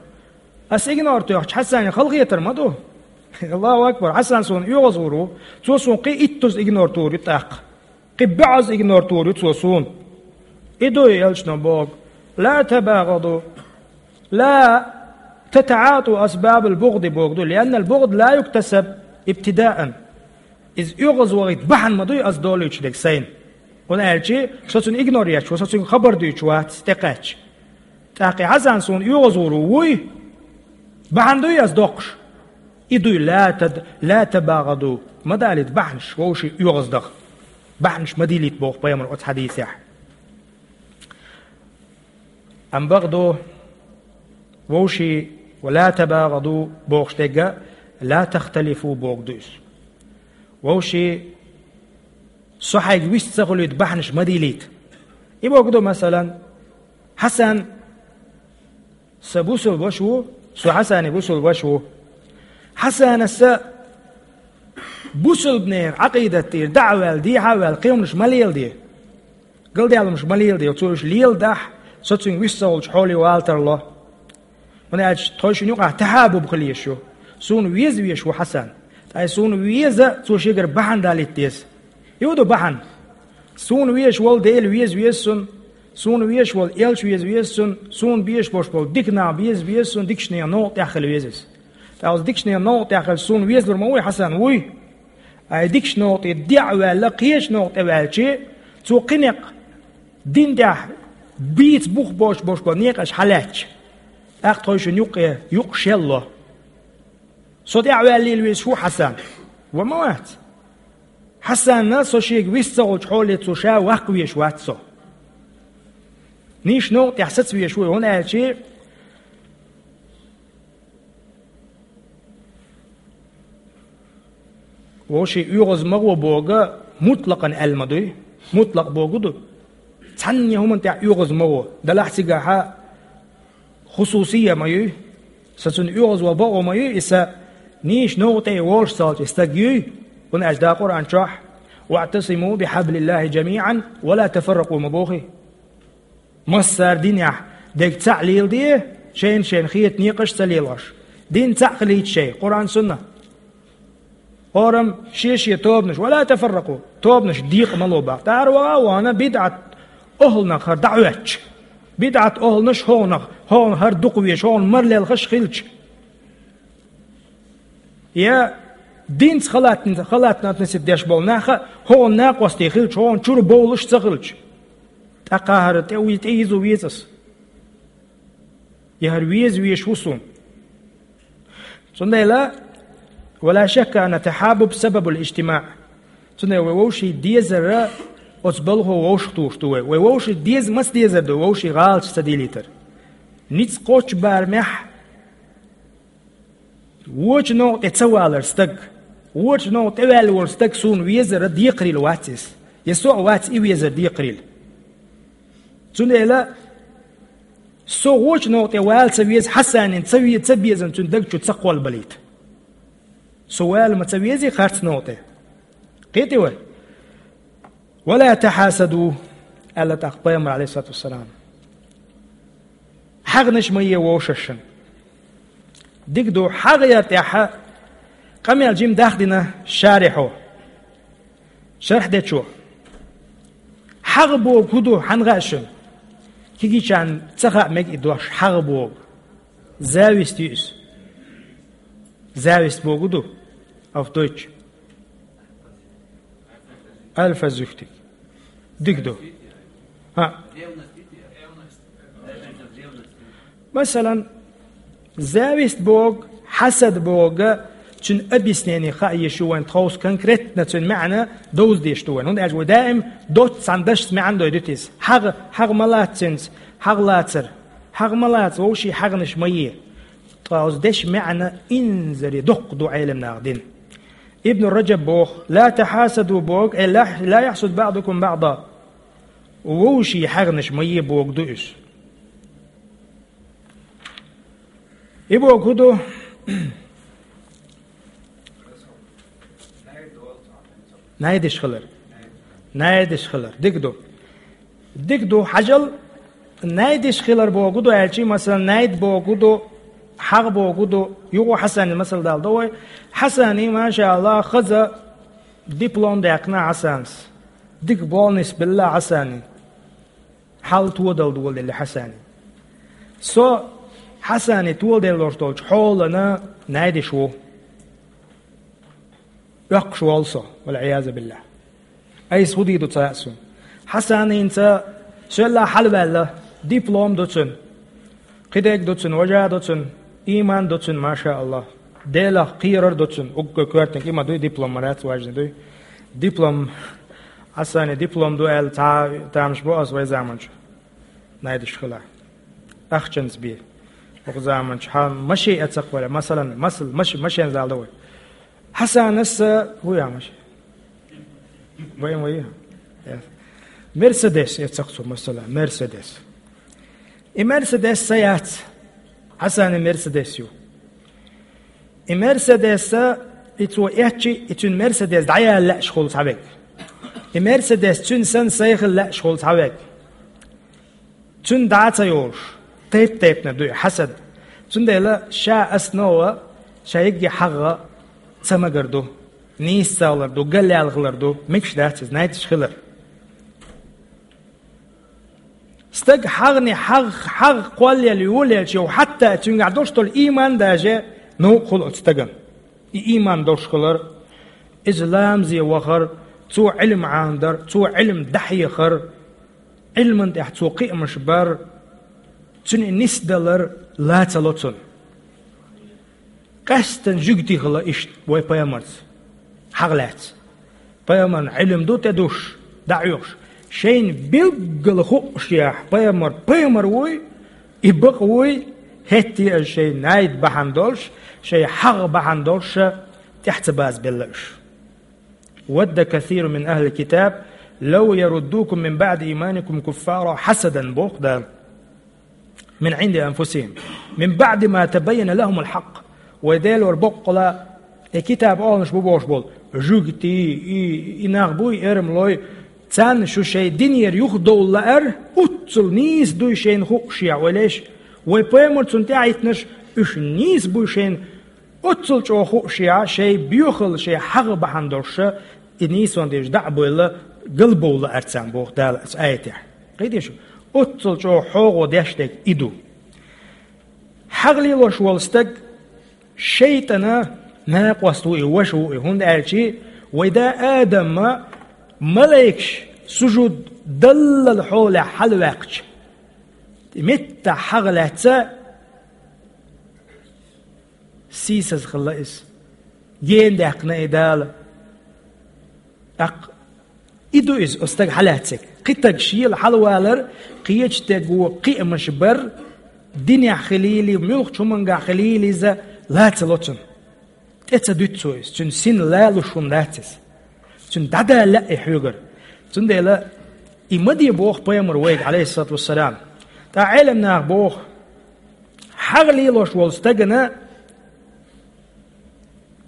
Ас игнор тоьхча, Хьасане халахетар ма ду. Аллаху акбар, Хьасан суна оьгӀазвахар ву, цо суна кхин иттаза игнор тухур ю тӀаккха. Кхин бӀозза игнор тухур ю цо суна. И ду и элчано боху: لا تباغضوا، لا تتعاطوا أسباب البغض боху ду, لأن البغض لا يكتسب ابتداءً. Иза оьгӀазвахийта бахьана ма дуй ас долуьйтуш дерг сайна. ХӀунда аьлча со цуьнан игнор етташ ву, со цуьнга хабар дуьйцуш вац тӀекхаьчча. ТӀаккха и Хьасан суна оьгӀазвахар ву, вуй? Бахьана дуй ас доккхуш? И дуй: لا تد-, لا تباغضوا. Ма далийта бахьанаш, вовшийн оьгӀаздаха. Бахьанаш ма дийлийта боху пайхамар оцу хьадисехь. Амма бакъду, вовшийн ولا تباغضوا бохуш дерг а لا تختلفوا боху ду иза. Вовшийн, со хьайга вист ца хуьлуьйту бахьанаш ма дийлийта. И боху ду, масалан, Хьасан сан бусулба ваша ву, со Хьасане бусулба ваша ву. Хьасанас бусулбанера Ӏакъидат тӀера дӀа а ваьлла, дехьа а ваьлла, кхин хӀуманаш ма леладе. Галдаьлларш ма леладе, цо уьш леладахь, со цуьнга вист ца хуьлуш хьоле вала тарло. ХӀунда аьлча тхойшинна юкъахь тахьабуб хила езаш ю. Суна веза везаш ву Хьасан. Ткъа и суна веза, цо шегара бахьана далийта деза. И хӀун ду бахьана? Суна везаш волу Дела веза веза суна, суна везаш волу элча веза веза суна, суна безаш болуш болу дика нах беза веза суна, дикачу нехан новкъа тӀехь хила веза иза. Ткъа оцу дикачу нехан новкъа тӀехь хилча, суна везалур ма вуй Хьасан, вуй? Ай дикачу новкъа тӀе дӀа а ваьлла, кхечу новкъа тӀе ваьлча, цо кхин некъ дин тӀехь бийца бух боцуш болуш болу некъаш хьалаьцча, тӀаккха тхойшинна юккъе юкъ шелло. Со тӀаьхьа ваьллийла везаш ву Хьасан. Ва ма вац. Хьасанна со шега вист ца хуьлучу хьоле цо ша ваккха везаш вац со. Нийса новкъа тӀехь саца везаш ву, хӀунда аьлча вовшийн оьгӀаз ма гӀо боху мутлакъан аьлла ма дуй. Мутлакъ боху ду. Цхьанне хӀуманна тӀехь оьгӀаз ма гӀо. Делахь цигахь хусусия ма юй. Сан цунна оьгӀаз ван бакъо ма юй, и сан нийса новкъа тӀе волуш ца хилча и стаг юй. ХӀунда аьлча Дала Къуръан чохь: واعتصموا بحبل الله جميعا ولا تفرقوا ма бохий. Массара динехь дерг цхьаъ леладе, шайна-шайна хета некъаш а ца лелош. Дин цхьаъ хилийта шайн, Къуръан, Сунна. ХӀораммо шен-шен тобанаш, ولا تفرقوا, тобанаш декъа ма ло боху. ТӀаьхьара ваха а вахана, бидӀат охӀланах хӀара дӀахӀоьттича. БидӀат охӀланаш хӀокхунах, хӀокхунах хӀара дукха везаш, хӀокхунна мара лелхаш хилча. Я динца халатна, халатна относиться деш болу нах а хӀокхунна накъостий хилча, хӀокхунна чуьра бовлуш ца хилча. ТӀаккха хӀара тӀе уй-, тӀе йиза веза ас. Я хӀара веза везаш ву суна. Цундела, ولا شك أن التحابب سبب الاجتماع. Цундела вай вовшийн дезар оцу балхо вовшахтухуш ду вай. Вай вовшийн деза маца дезар ду, вовшийн гӀалаташ ца дийлийтар. Ницкъ кхоччу барамехь вочу новкъа тӀе ца валар стаг, вочу новкъа тӀе ваьлла волу стаг суна везар декхарийла вац иза. Я со а вац и везар декхарийла. Цундела со вочу новкъа тӀе вала ца веза, Хьасанин ца ве-, ца безам цуьнан даг чу ца кхолбалийта. Со вала ма ца везий харц новкъа тӀе. Кхетий вай? ولا تحاسدوا, аьлла тӀаккха пайхамар, عليه الصلاة والسلام. ХьагӀнаш ма е вовшашна. Дика ду, хьагӀ яр тӀехь къамел жима дахдина шарихьо. Шарх дечо. ХьагӀ боху хӀун ду, хьан хаьа шуна? Кегийчарна ца хаьа мега и дош, хьагӀ боху. Зависть ю иза. Зависть боху ду, auf Deutsch. Eifersüchtig. Дика ду. ХӀаъ. Масалан, зависть боху, хьасад боху, цуьнан объяснение хаа езаш ю вайн тховса, конкретно цуьнан маьӀна довза дезаш ду вайн. ХӀунда аьлча вай даим доцца цхьана дашца маьӀна дойдуьйту иза. ХьагӀ, хьагӀ ма лаца цуьнца, хьагӀ лацар. ХьагӀ ма лаца, вовшийн хьагӀнаш ма е. Ткъа оцу дешан маьӀна инзаре доккха ду Ӏеламнаха дина. Ибн Раджаб боху: «Ла тахьасаду», боху, э, «ла, ла яхьсуд баъдукум баъда». Вовшийн хьагӀнаш ма е боху ду уьш. И боху ду. Найдаш хилар. Найдаш хилар. Дика ду. Дика ду, хьажал, найдаш хилар боху ду аьлчи, масала, найд боху ду, хьагӀ боху ду, юха Хьасани масала дала ду вай. Хьасани, машаАллахӀ, хаза диплом даьккхина Хьасанас. Дика бонус белла Хьасани. Хьал тодал доладелла Хьасани. Со Хьасани толаделлалуш долчу хьолана найдаш ву. Оьккхуш волу со, валӀиязу биллахӀ. Айса хӀун дийр ду ца хаьа суна. Хьасанинца соьлла хьалаваьлла, диплом ду цуьнан. Кхидерг ду цуьнан, важа ду цуьнан, ийман ду цуьнан, машаАллахӀ. Делах кхерар ду цуьнан, уггар коьртаниг и ма дуй, диплом ма дац, важна дуй. Диплом, Хьасани диплом ду аьлла, цхьа тамаш бу аса вай заманчу. Найдаш хила. Ахчанца бе. Оха заманчу хьан машен эцакх вара, масалан, масал, маш-, машен зал ду вай. Хьасанас, хӀу я машен? Вайн вай? Э. Мерседес эцакх цо, масала, Мерседес. И Мерседес сан яц. Хьасани Мерседес ю. И Мерседес, и цо эцчи, и цуьнан Мерседес дӀаяла лаьаш хуьлу цхьаверг. И Мерседес цуьнан санна сайхила лаьаш хуьлу цхьаверг. Цуьнан дӀа а ца йолуш, тайп-тайпана дуй, хьасад. Цундела ша основа, ша йигге хьагӀ ца магар ду, нийса ца хилар ду, галъяьлла хилар ду, мегаш дац иза, найдаш хилар. Стаг хьагӀни хьагӀ, хьагӀ кхоллаелла йолаелча, хьатта цуьнгахь долуш долу ийман даже новкъа хуьлу оцу стагана. И ийман долуш хилар, иза ламазе вахар, цо Ӏилма Ӏамадар, цо Ӏилма дӀахьехар, Ӏилман тӀехь цо кхиамаш бар, цуьнан и нисдалар ла ца ло цунна. Къаьсттина жуьгтий хилла иштта вай пайхамарца хьагӀ лаьцна. Пайхамарна Ӏилма ду тӀедуш, дӀахьоьхуш. Шайна билггала хууш яхь, пайхамар, пайхамар вуй, и бакъ вуй, хӀетте а шайн найд бахьана долуш, шайн хьагӀ бахьана долуш, тӀаьхьа ца базабелла уьш. «Вадда касирун мин ахлил китаб лав яруддукум мин баъди ийманикум куффара хьасадан», боху Дала. «Мин Ӏинди анфусихим. Мин баъди ма табайяна лахумул хьакъ». Вай Делора боккъала, и китаб олуш бу бохуш болу жуьгтий, и, и нах буй, эрмалой, царна шу шайн динера юхадовла лаар, оццул нийса дуй шайна хууш яхь, вай леш, вай пайхамар цунна тӀаьхьахӀиттинарш, уьш нийса буй шайна, оццул чӀогӀа хууш яхь, шайн боьхалла, шайн хьагӀ бахьана долуш, и нийсонан дезаш дӀа а бевлла, галбовла лаар царна, боху Дала оцу аятехь. Кхетий шу? Оццул чӀогӀа хьогӀо деш дерг и ду. ХьагӀ лелош волу стаг шайтӀана накъост ву и, ваша ву и, хӀунда аьлча вай да Адама малайкаш сужуд даллал хьолехь хьалаваьккхича, меттахь хьагӀ лаьцна, сийсаза хилла иза. Гена даьккхина и Дала. ТӀаккха и ду иза, оцу стага хьалаьцнарг. Кхин стаг шела хьалавалар, кхечу стага кхиамаш бар, динехь хилийла, муьлххачу хӀумангахь хилийла иза, ла ца ло цунна. ТӀе ца дуьту цо иза, цуьнан син лалуш хӀума дац иза. Цуьнан дӀадала лаьа и хьоьгара. Цундела и ма де боху пайхамар вайга, Ӏалайхиссалату вассалам. ТӀаккха Ӏелам наха боху, хьагӀ лелош волу стагана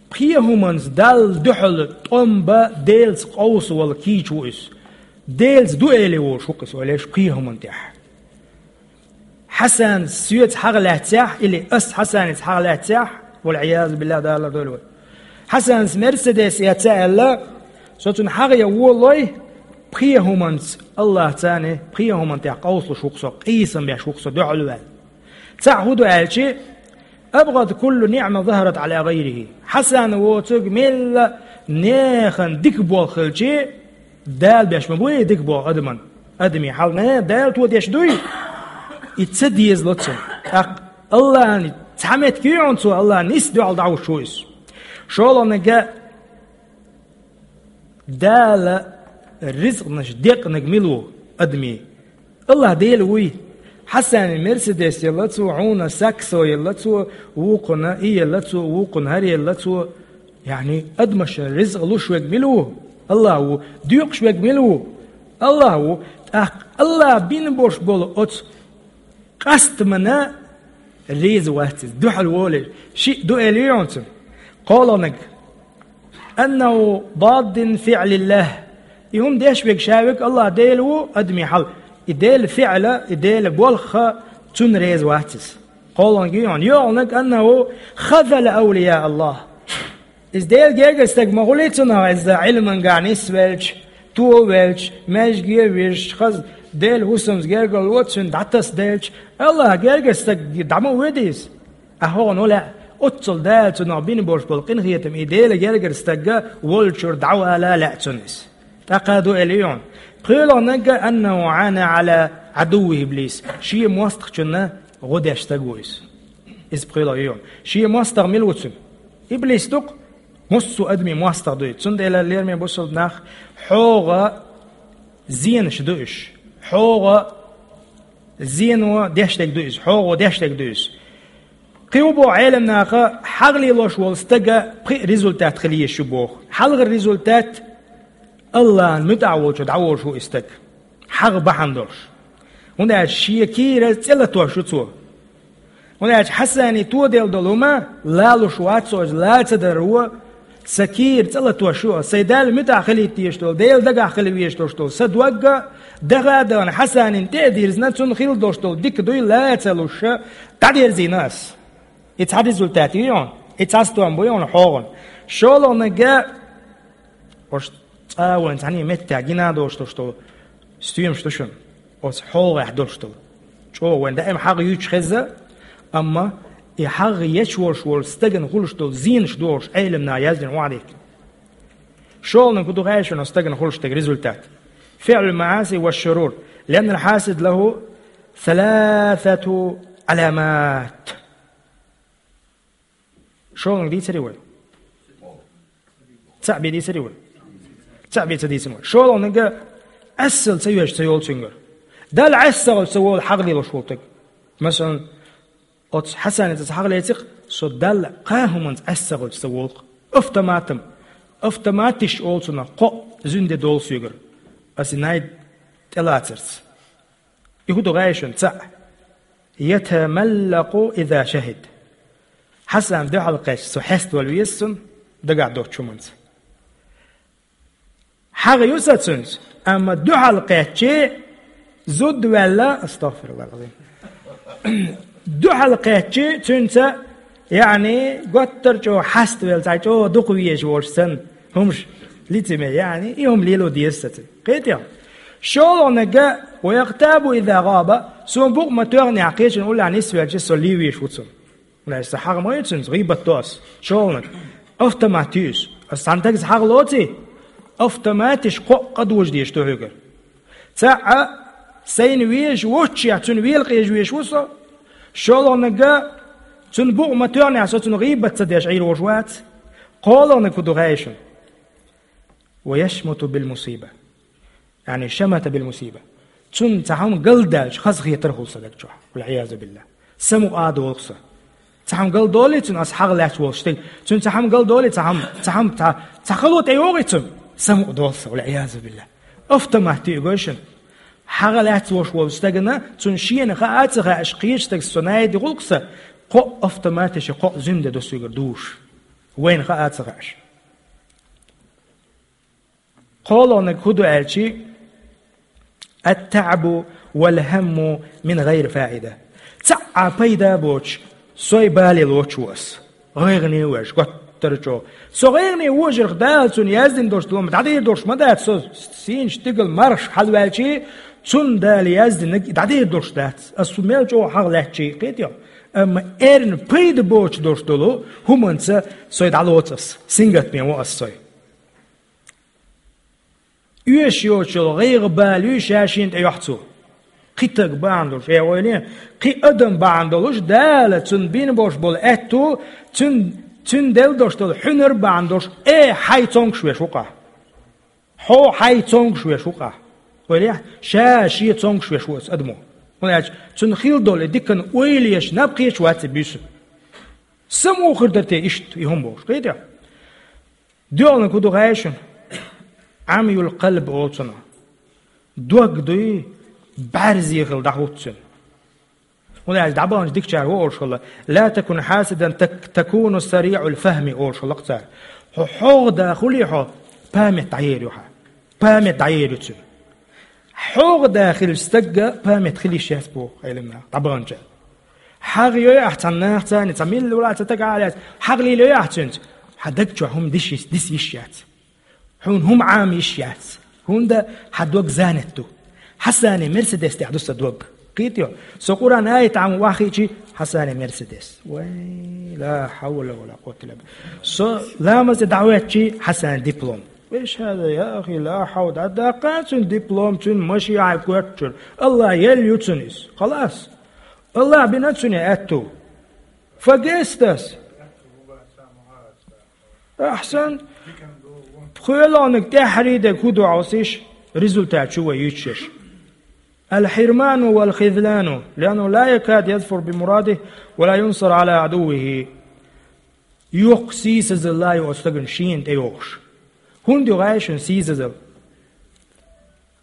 пхи хӀуманца Далла дуьхьал тӀом бан, Делаца къовса волу кийча ву иза. Делаца ду элий волуш ву-кх иза, вай леш, пхи хӀуманна тӀехь. Хьасанас соьца хьагӀ лаьцнехь, или ас Хьасаница хьагӀ лаьцнехь, валӀиязу биллахӀ, Дала лардойла вай. Хьасанас Мерседес эца аьлла, со цунна хьагӀ ян волой, пхи хӀуманца, АллахӀаца, пхи хӀуманна тӀехь къовсалуш ву-кх со, къийсам беш ву-кх со дуьхьал ваьлла. Цхьаъ хӀун ду аьлчи, «АбгӀад куллу ниӀма захарат Ӏала гӀайрихӀи». Хьасан воцург мелла нехан дика болх хилчи, Дала беш ма буй дика болх адаман. Адамийн хьал, не, Дала тодеш дуй. И ца дезало цунна. ТӀаккха АллахӀан цхьа меттиг ю хьуна цо, АллахӀан нийса дуьхьал дӀахьуш ву иза. ШолгӀаниг, Дала ризкънаш декънарг мила ву адамийн? АллахӀ Дела вуй. Хьасани Мерседес елла цо, хьуна саксо елла цо, вукхунна и елла цо, вукхунна хӀара елла цо. Яъни, адамашна ризкъ луш верг мила ву? АллахӀ ву. Доькъуш верг мила ву? АллахӀ ву. ТӀаккха АллахӀ бина болуш болу оцу къастамана реза вац иза, дуьхьал волуш. Шиъ ду элира хьуна цуьнан. КхоалгӀаниг: «أنه ضد فعل الله». И хӀума деш верг ша верг АллахӀ Дела ву, адамийн хьал. И Делан фиъла, и Делан болх, цунна реза вац иза. КхоалгӀаниг ю хьуна. ЙоьалгӀаниг: «أنه خذل أولياء الله». Иза Делан гергара стаг ма хуьлий цунах, иза Ӏилманехь нисвелча, товелча, маьждиге а вижча, хаза Делан хӀусамца гергарло цуьнан дӀатасаделча, АллахӀан гергара стаг дӀа ма воьду иза. Ахьа хӀун лаьа, оццул Дала цунах бина болуш болу къинхетам, и Делан гергара стаг волчуьра дӀавала лаьа цунна иза. ТӀаккха ду элира хьуна. ПхоьалгӀаниг: «أنه عانى على عدوه إبليس». Шен мостагӀчунна гӀо деш стаг ву иза. Иза пхоьалгӀа ю хьуна. Шен мостагӀа мила ву цуьнан? Иблис ду-кх, массо а адамийн мостагӀа ду иза. Цундела, лераме бусалба нах, хьогӀа зенаш ду уьш. ХьогӀа зено деш дерг ду иза. ХьогӀо деш дерг ду иза. Кхин хӀун боху Ӏеламнаха, хьагӀ лелош волу стага пхи результат хила езаш ю боху. Хьалхара результат: АллахӀан муьтӀахь волчу дӀаволуш ву и стаг, хьагӀ бахьана долуш. ХӀунда аьлча шен кийра цӀе латош ю цо. ХӀунда аьлча Хьасане тоделла долу хӀума лалуш вац цо, иза ла ца даро, сан кийра цӀе латош ю, сайн Далла муьтӀахь хилийта дезаш долу, Делан дагахь хила везаш долуш долу сан дог а, даха а дахана, Хьасанина тӀе а дирзина, цунна хилла долуш долу дика дуй ла а ца луш, дӀадерзийна ас. И цхьа результат ю хьуна, и цхьа стом бу хьуна хьогӀан. ШолгӀаниг: оцу цкъа а вайн цхьаьна меттехь гина а долуш долуш долу стоьмаш ду шуна, оцу хьогӀехь долуш долу. ЧӀогӀа вайн даим хьагӀ юьйцуш хезна, амма и хьагӀ еш волуш волу стагана хуьлуш долу зенаш дохуш Ӏеламнаха яздина хӀун дийхкина. ШолгӀаниг хӀун ду хаьий шуна оцу стагана хуьлуш дерг результат? «فعل المعاصي والشرور، لأن الحاسد له ثلاثة علامات». ШолгӀаниг дийцарий вай? Цхьаъ бен дийцарий вай? Цхьаъ бен ца дийцина вай. ШолгӀаниг: Ӏессал ца йоьжуш ца йолу цуьнгара. Далла ӀессагӀаллаш ца волу хьагӀ лелош волу стаг. Масалан, оцу Хьасанца аса хьагӀ леци-кх, со Далла кхаа хӀуманца ӀессагӀаллаш ца волу-кх. Автоматом. Автоматиш олу цунах, кхоъ зуьнде долу соьгара, аса и най тӀелацарца. И хӀун ду хаьий шуна? Цхьаъ: «يتملق إذا شهد». Хьасан дуьхьал кхаьчча, со хьеставала веза цунна дагахь доцучу хӀуманца. ХьагӀ ю сан цуьнца, амма дуьхьал кхаьччи, зуда ваьлла, астагӀфируллахӀ аль-Ӏазим. Дуьхьал кхаьччи цуьнца, яъни, готтар чӀогӀа хьаставелла, цхьа чӀогӀа дукха везаш волуш санна, хӀумаш лицемер, яъни, и хӀума лело деза сан цуьнца. Кхетий хьо? ШолгӀаниг: «ويغتاب إذا غاب», суна букъ ма тоьхнехь, кхечун уллехь нисвелча, со лийвеш ву цунна. Аса хьагӀ ма ю цуьнца, гӀийбат до ас. ШолгӀаниг: автомат ю иза. Аса цхьана стагца хьагӀ лоций, автоматиш кхоъ къа дожа дезаш ду хьоьгара. Цхьаъ, сайна везаш воццушехь, цуьнан велакъежа везаш ву со. ШолгӀаниг: цуьнан букъ ма тоьхнехь, со цунна гӀийбат ца деш Ӏийр волуш вац. КхоалгӀаниг хӀун ду хаьий шуна? «ويشمت بالمصيبة». Яъни, «شمت بالمصيبة». Цунна цхьа хӀума галдаьлча, хазахетар хуьлу сан даг чохь. والعياذ بالله. Самукъа а долу-кх сан. Цхьа хӀума галдолий цунна, аса хьагӀ лаьцна волуш стаг. Цунна цхьа хӀума галдолий, цхьа хӀума, цхьа хӀума, цхьа, цхьа хало тӀейогӀий цунна? Самукъа долу сан, والعياذ بالله. Автомат ю и, гой шуна. ХьагӀ лаьцна волуш волу стагана, цунна шена хаа а ца хаьаш, кхечу стагца со найди гӀуллакх сан, кхоъ автоматиша, кхоъ зуьнде до соьгара душ. Вайна хаа а ца хаьаш. КхоалгӀаниг хӀун ду аьлчи: «التعب والهم من غير فائدة». Цхьа а пайда боцуш, сой бале лоцуш ву ас. ГӀайгӀане веш, готтара чӀогӀа. Со гӀайгӀане вожарх Дала цунна яздина долуш долу хӀума дӀадийр долуш ма дац, со сийна стигала мархаш хьалаваьлчи, цунна Дала яздинарг дӀадийр долуш дац. Ас цу мел чӀогӀа хьагӀ лаьцчи, кхетий хьо? Амма эрна пайда боцуш долуш долу хӀуманца сой дӀалоцу ас, сингаттаме во ас сой. Оьшуш йоцуш йолу гӀайгӀа-бала ю ша шена тӀе йохьу цо. Кхин стаг бахьана долуш, э, ойла е, кхин адам бахьана долуш, Дала цунна бина болуш болу аьтту, цуьнан, цуьнан делла долуш долу хьуьнар бахьана долуш, э, хьайн цомгуш веш ву-кх ахь. Хьо хьайн цомгуш веш ву-кх ахь. Ойла е, ша шен цомгуш веш ву оцу адамо. ХӀунда аьлча цунна хилла долу и диканна ойла еш наб кхеча вац и буьйсанна. Самукъа хир дара те иштта, и хӀума бохуш, кхетий хьо? Доьалнаг хӀун ду гӀайшина? Ӏамюл къалб олу цунах. Дог дуй, бӀаьрзе хила дӀахӀутту цуьнан. ХӀунда аьлча дӀабаханчу дикачара ву олуш хилла: «Ла такун хьасидан так-, такуну сариӀул фахми», олуш хилла цара. Хьо хьогӀа да хуьлий хьо, памет дӀаер ю хьан. Памет дӀаер ю цуьнан. ХьогӀа да хилча стагга памет хила йиш яц боху Ӏеламнаха, дӀабаханчара. ХьагӀ йой ахь цхьана нахаца, цхьа милла вала ца тага а лаьцна, хьагӀ лелайой ахь цуьнца, хьан даг чохь хӀума диш йиш, дис йиш яц. Хьуна хӀума Ӏама йиш яц. ХӀунда хьан дог занят ду. Хьасани Мерседес тӀехь ду сан дог. Кхетий хьо? Со Къуръан аят Ӏама вахийчи, Хьасани Мерседес. Вай, ла хьавла ва ла къуввата илла билла. Со ламаз тӀе дӀахӀоьттичи, Хьасани диплом. Вешан, я ахи, ла хьавла, дӀадаккха цуьнан диплом, цуьнан машен хьайн коьртачуьра. АллахӀ елла ю цунна иза. Халас. АллахӀ бина цуьнан аьтту. Фагестас. Ахьсан. ПхоьалгӀаниг тӀаьххьарий дерг хӀун ду хьовсийша, результат чу вай юьйцуш ерш. Аль-хирману валь-хизлану, лианнаху ла якаду язфару бимурадихи ва ла юнсару Ӏала Ӏадуввихи. Йоккха сийсазалла ю оцу стагана шена тӀейогӀуш. ХӀунда ю гӀайшина сийсазалла?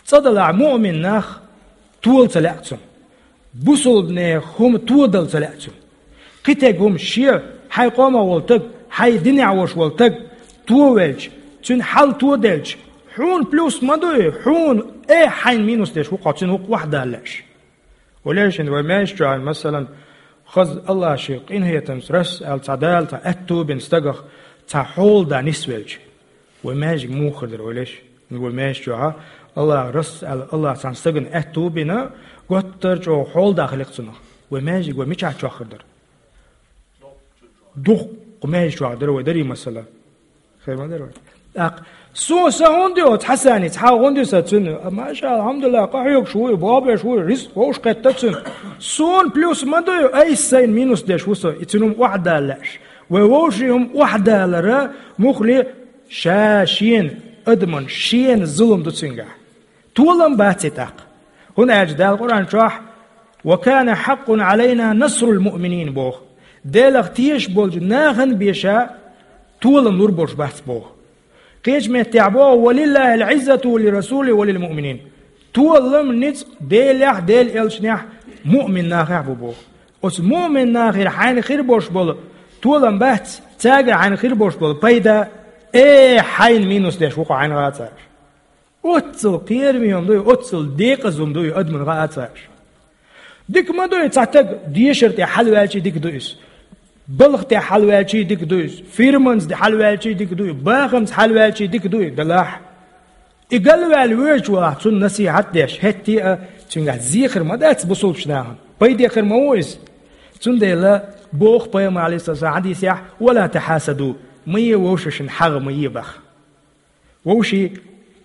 ЦӀа далахь муъмин нах тола ца лаьа цунна. Бусалбанех хӀума тодала ца лаьа цунна. Кхин тӀе хӀума шен, хьайн къомах волу таг, хьайн динехь волуш волу таг товелча, цуьнан хьал тоделча, хьуна плюс ма дуй, хьуна, э, хьайна минус деш ву-кх хьо, цуьнан ву-кх охьадала лаьаш. Валешин вай маьждиг чохь, масалан, хаза АллахӀ шен къинхетамца расс аьлла цхьа Дала цхьа аьтту бина стагах цхьа хьола да нисвелча, вай маьждиг муха хир дара, валеш? Вай маьждиг чохь АллахӀ расс аьлла, АллахӀ цхьана стагана аьтту бина, готтара чӀогӀа хьола да хили-кх цунах. Вай маьждиг вай мичахь чохь хир дара? Дуккха маьждиг чохь дара вай дарий, масала. Хир ма дара вай. ТӀаккха: «Суна сан хӀунда ю оцу Хьасаница? Хьан хӀунда ю сан цуьнан? Маша, алхьамдулиллахӀ, къахьоьгуш ву и, бобеш ву и, ризкъ вовшах кхетта цуьнан. Суна плюс ма ду и, айса сайна минус деш ву со, и цуьнан хӀума охьадала лаьаш». Вай вовшийн хӀума охьадалар муххале ша шена, адаман шена зулам ду цуьнгахь. Толам бац и тӀаккха. ХӀунда аьлча Дала Къуръан чохь: «Ва кана хьаккъун Ӏалайна насрул муъминин», – боху. Делах тешаш болчу нахана бен ша толам лур болуш бац боху. Кхечу меттехь боху: «Ва лиллахӀил Ӏиззату ва лиррасулихӀи ва лилмуъминин». Толам, ницкъ Делехь, Делан элчанехь, муъмин нахехь бу боху. Оцу муъмин нахера хьайна хир болуш болу толам бац, цаьргара хьайна хир болуш болу пайда, э, хьайна минус деш ву-кх хьо, хьайна гӀа а ца аьлла. Оццул кхераме хӀума дуй, оццул декъаза хӀума дуй, адаман гӀа а ца аьлла. Дика ма дуй, цхьа стаг дешар тӀе хьалаваьлчий дика ду иза. Балха тӀе хьалаваьлчий дика ду иза. Фирманца хьалаваьлчий дика ду иза. Бахамца хьалаваьлчий дика ду иза, делахь. И галваьлла воьдучу валахь, цунна насихьат деш, хӀетте а цуьнгахь зехар ма дац бусулбачу нахана. Пайде хир ма ву иза. Цундела боху пайхамар, Ӏалайхиссалам, хьадисехь: «Ва ла тахьасаду», ма е вовшашна хьагӀ, ма е баха. Вовшийн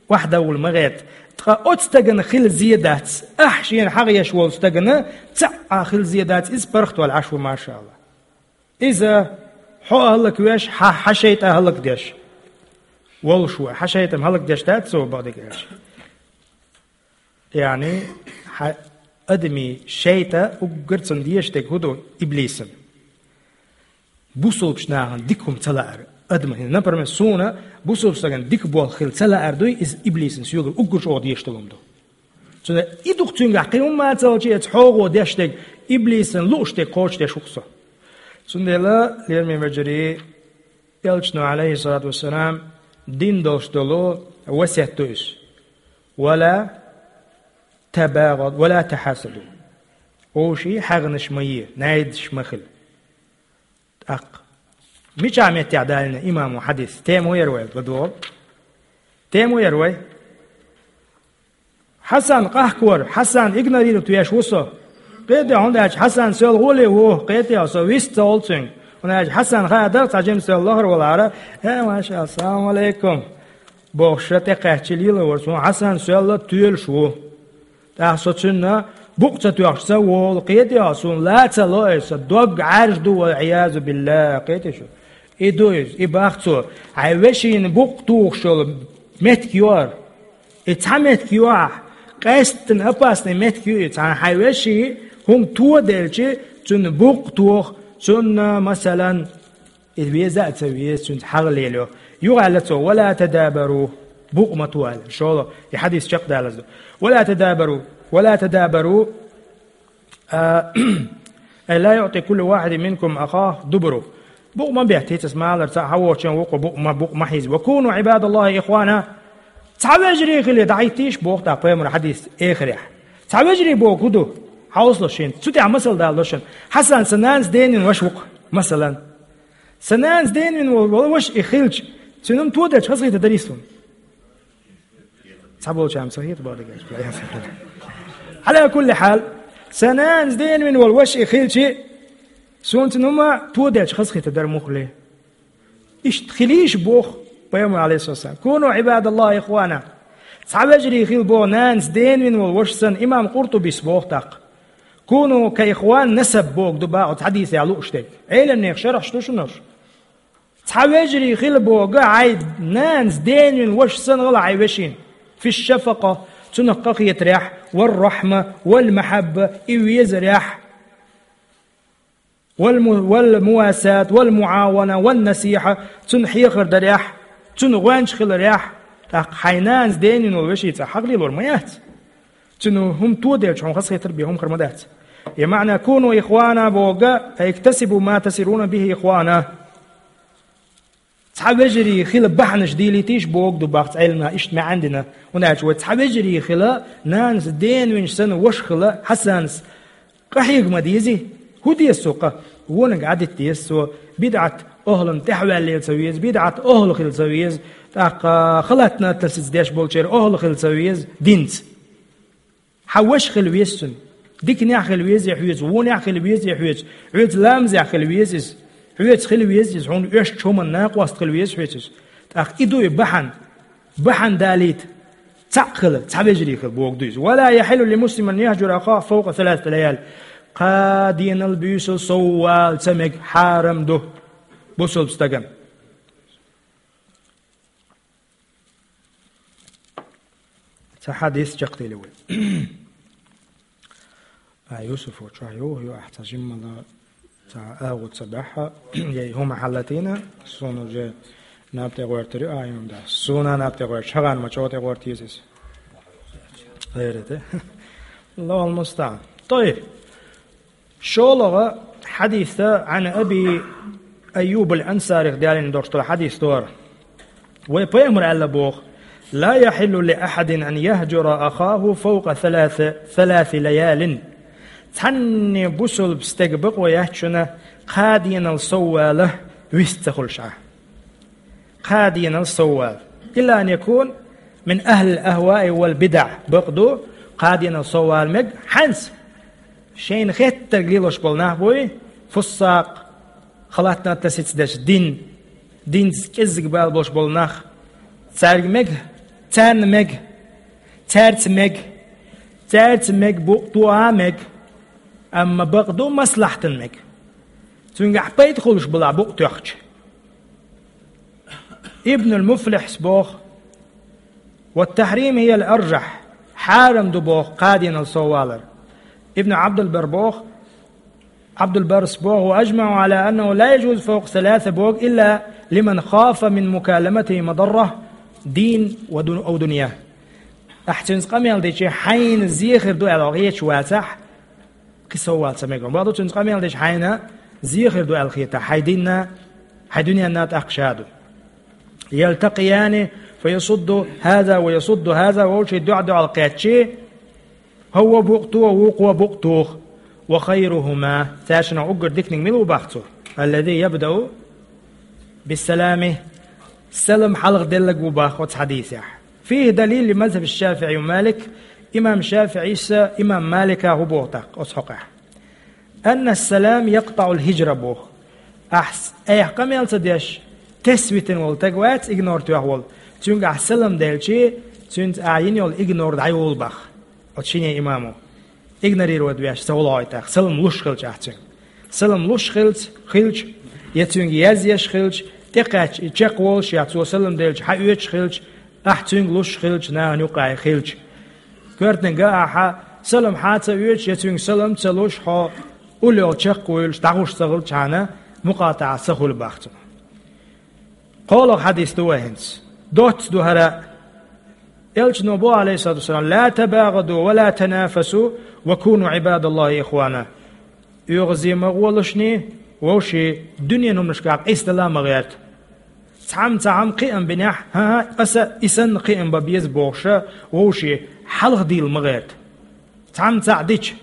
охьадовла ма гӀерта. Ткъа оцу стагана хила зе дац, ахь шена хьагӀ еш волу стагана цхьаъ а хила зе дац, иза паргӀатваьлла Ӏаш ву, машаАллахӀ. Иза хьо а хӀаллаквеш, хьан, хьан шайтӀа а хӀаллакдеш волуш ву, хьан шайтӀа-м хӀаллакдеш дац цо, бакъдерг аьлча. Яъни, хьан адамийн шайтӀа уггар цунна дезаш дерг хӀун ду? Иблисан. Бусулбачу нахана дика хӀума ца лаар, адаман, например, суна бусулбачу стагана дика болх хила ца лаар дуй, иза иблисан соьгара уггар чӀогӀа дезаш долу хӀума ду. Цундела и ду-кх цуьнгахь, кхин хӀумма а ца хилча, эца хьогӀо деш дерг, иблисан лууш дерг кхочушдеш ву-кх со. Цундела, лераме вежарий, элчано, Ӏалайхиссалату вассалам, дина долуш долу васет ду иза: «Ва ла табагӀаду, ва ла тахьасаду». Вовшийн хьагӀнаш ма е, найдаш ма хила. ТӀаккха мичахь меттехь далийна имамо хьадис? Тема хӀун яра вай ладогӀа? Тема хӀун яра вай? Хьасан къахкор, Хьасан игнорировать веш ву со. Кхетий, хӀунда аьлча Хьасан соьлла гӀоле ву, кхетий, со вист ца волу цуьнга. ХӀунда аьлча Хьасан хаа дара, цхьа жима соьлла лахара валахьара: «Э, машаАллахӀ, салам алейкум», – бохуш, ша тӀекхаьчча лела вара, суна Хьасан соьлла тоьлуш ву. ТӀаккха со цуьнан букъ ца тоьхча ца волу, кхетий, суна ла ца ло, сан дог Ӏаьржа ду, валь-Ӏиязу биллахӀ, кхетий шу? И ду иза, и бах цо, хьайн вешина букъ тухуш йолу меттиг ю хӀара. И цхьа меттиг ю ахь, къаьсттина опасный меттиг ю и, цхьана хьайн вешин хӀума тоделча, цуьнан букъ тоха, цунна, масалан, И веза а ца веза, цуьнца хьагӀ лелайо. Юха аьлла цо: «Ва ла тадабару». Букъ ма то аьлла. ШолгӀа, и хьадис чекхдалаза ду. «Ва ла тадабару». «Ва ла тадабару». А, «Ай ла юъти куллу вахидин минкум ахаху дубураху». Букъ ма беттийта, аса малар цхьаъ хьавоцучун вукхо букъ ма, букъ ма хьийза. «Ва куну Ӏибадаллахи ихвана». Цхьа вежарий хила дӀахӀиттийша боху тӀаккха пайхамара хьадис эхарехь. Цхьа вежарий боху хӀун ду? Хьовсалаш шена. Цу тӀехь масал далалаш шуна. Хьасан сан нанас денвина ваша ву-кх, масалан. Сан нанас денвина волу, волу ваша и хилча, цуьнан хӀума тоделча хазахийтар дарий суна? Цхьаболчарна ца хета боху дагахь. Ӏала кулли хьал, сан нанас денвина волу ваша и хилча, суна цуьнан хӀума тоделча хазахийтар дара муххале. Иштта хилийша боху пайхамара, Ӏалайхиссалам: «Куну Ӏибадаллахи ихвана». Цхьа вежарий хила боху нанас денвина волу ваша санна, имам Къуртубис боху тӀаккха. «Куну ка ихвани насаб» боху ду боху оцу хьадисехь лууш дерг. Ӏеламнехан шархьаш ду шуна уьш. Цхьа вежарий хила боху хьайн нанас денвина ваша санна гӀала хьайн вешина. Фи шафакъа, цунах къахетарехь, вар рахьма, вал махьабба, и везарехь. Вал му-, вал мувасат, вал муавана, ван насихьа, цунна хьехар дарехь, цунна гӀоьнча хиларехь, тӀаккха хьайн нанас денвина волу вешин цӀа хьагӀ лелор ма яц. Цуьнан хӀума тоделча хьуна хазахетар бен хӀума хир ма дац. И маьӀна: «Куну ихвана» боху, «Ай иктасибу ма тасируна бихи ихвана». Цхьа вежарий хила бахьанаш дийлийтийша боху ду боху цхьа Ӏеламнаха, иштта маьӀна дина. ХӀунда аьлча вай цхьа вежарий хила, нанас денвинчу санна ваша хила, Хьасанас къахьега ма дезий? ХӀун деза цо къа? Вониг Ӏадитта деза цо, бидӀат охӀлан тӀаьхьаваьлла ца веза, бидӀат охӀла хила ца веза, тӀаккха халатна тасица деш болчеран охӀла хила ца веза динца. Хьан ваша хила веза цуьнан. Диканехь хила везий хьоьца, вонехь хила везий хьоьца, хьоьца ламазехь хила веза иза, хьоьца хила веза иза, хьуна оьшучу хӀуманна накъост хила веза хьоьца иза. ТӀаккха и ду и бахьана. Бахьана далийта. Цхьаъ хила, цхьа вежарий хила боху ду иза. «Ва ла яхьиллу ли муслимин яхьжура ахаху фавкъа саласати лаял». Кхаа денал, буьйсал сов вала ца мега, хьарам ду бусалба стагана. Цхьа хьадис чекхдели вай. А, Юсуфо, чохь юха ю ахь цхьа жиммала, цхьа агӀо ца баьхьа, я и хӀума хьалатийна, суна уже наб тӀе гӀортар ю, а, юн да. Суна наб тӀе гӀортар, шагӀан ма чӀогӀа тӀе гӀорта еза иза. Гайрате. Аллахул мустаӀан. ТӀойб. ШолгӀа хьадис да, Ӏан Аби Айюб ал-Ансарих далийна долуш долу хьадис дара. Вай пайхамар аьлла боху: «Ла яхьиллу ли ахьадин ан яхьжура ахаху фавкъа саласа, саласи лаялин». Цхьанне бусалба стеган бакъо яц шуна кхаа денал сов вала вист ца хуьлуш Ӏа. Кхаа денал сов вала. Илла ан якун мин ахьлил ахваи вал бидӀа. Бакъ ду, кхаа денал сов вала мега, хьанца? Шайна хеттарг лелош болу нах буй, фуссакъ, халатна тасица деш дин, динца кӀеззиг бала болуш болу нах. Цаьрга мега, царна мега, цаьрца мега, цаьрца мега, букъ тоха мега, амма бакъ ду маслахьтан мега. Цуьнгахь пайда хуьлуш балахь букъ тоьхча. Ибнул Муфлихьс боху: «Ва тахьрим хиял аржахь», хьарам ду боху кхаа денал сов валар. Ибн Абдулбар боху, Абдулбарс боху: «Ва ажмау ала аннаху ла яжуз фавкъа саласа», боху, «илла лиман хафа мин мукаламатихи мадарра дин ва дун-, ав дунья». Ахь цуьнца къамел дичи, хьайна зе хир ду аьлла хеташ вацахь, кхин сов вала ца мега. Бакъду, цуьнца къамел дичи хьайна зе хир ду аьлла хетахь, хьайн динна, хьайн дуьненна тӀаккха ша ду. «Ялтакъияни, фа ясудду хаза ва ясудду хаза», вовшийн дуьхьа-дуьхьал кхетчи, хӀавва букъ то, вукхо букъ тоху. «Ва хайрухума», цаьршинах уггар диканиг мила ву боху цо? «Аллази ябдау биссалами», салам хьалха деллаг ву боху оцу хьадисехь. «Фихи далил ли мазхаби ШафиӀи ва Малик», имам ШафиӀис, имам Малика хӀун боху тӀаккха оцу хьокъехь? «Анна салам якътаӀул хӀижра», боху. Ахь с-, айхьа къамел ца деш, тесна витина волу стаг вац, игнор тоьхна волу. Цуьнга ахь салам делчи, цуьнца ахь йина йолу игнор дӀайолу боху оцу шине имамо. Игнорировать веш ца волахьуьйту ахь, салам луш хилча ахь цуьнга. Салам луш хилча, хилча, я цуьнга язъеш хилча, тӀекхаьчча и чекхволуш, я цо салам делча хьаоьцуш хилча, ахь цуьнга луш хилча, нахана юккъехь хилча. Коьртаниг а ахьа салам хьа а ца оьцуш, я цуьнга салам а ца луш, хьо уллохь чекхвуьйлуш, дӀахуш ца хилчхьана, мукъатаӀа ца хуьлу боху цунах. КхоалагӀа хьадис ду вай хӀинца. Доцца ду хӀара. Элчано бо, Ӏалайхи ссалату вассалам: «لا تباغضوا ولا تنافسوا وكونوا عباد الله إخوانا». ОьгӀазе ма гӀолашний, вовший дуьненан хӀуманашкахь къийсадала ма гӀерта. Цхьамма цхьа хӀума кхиам бинехь, хӀан-хӀа, аса и санна кхиам бан беза бохуша, вовший хьалха дийла ма гӀерта. Цхьамма цхьаъ дича,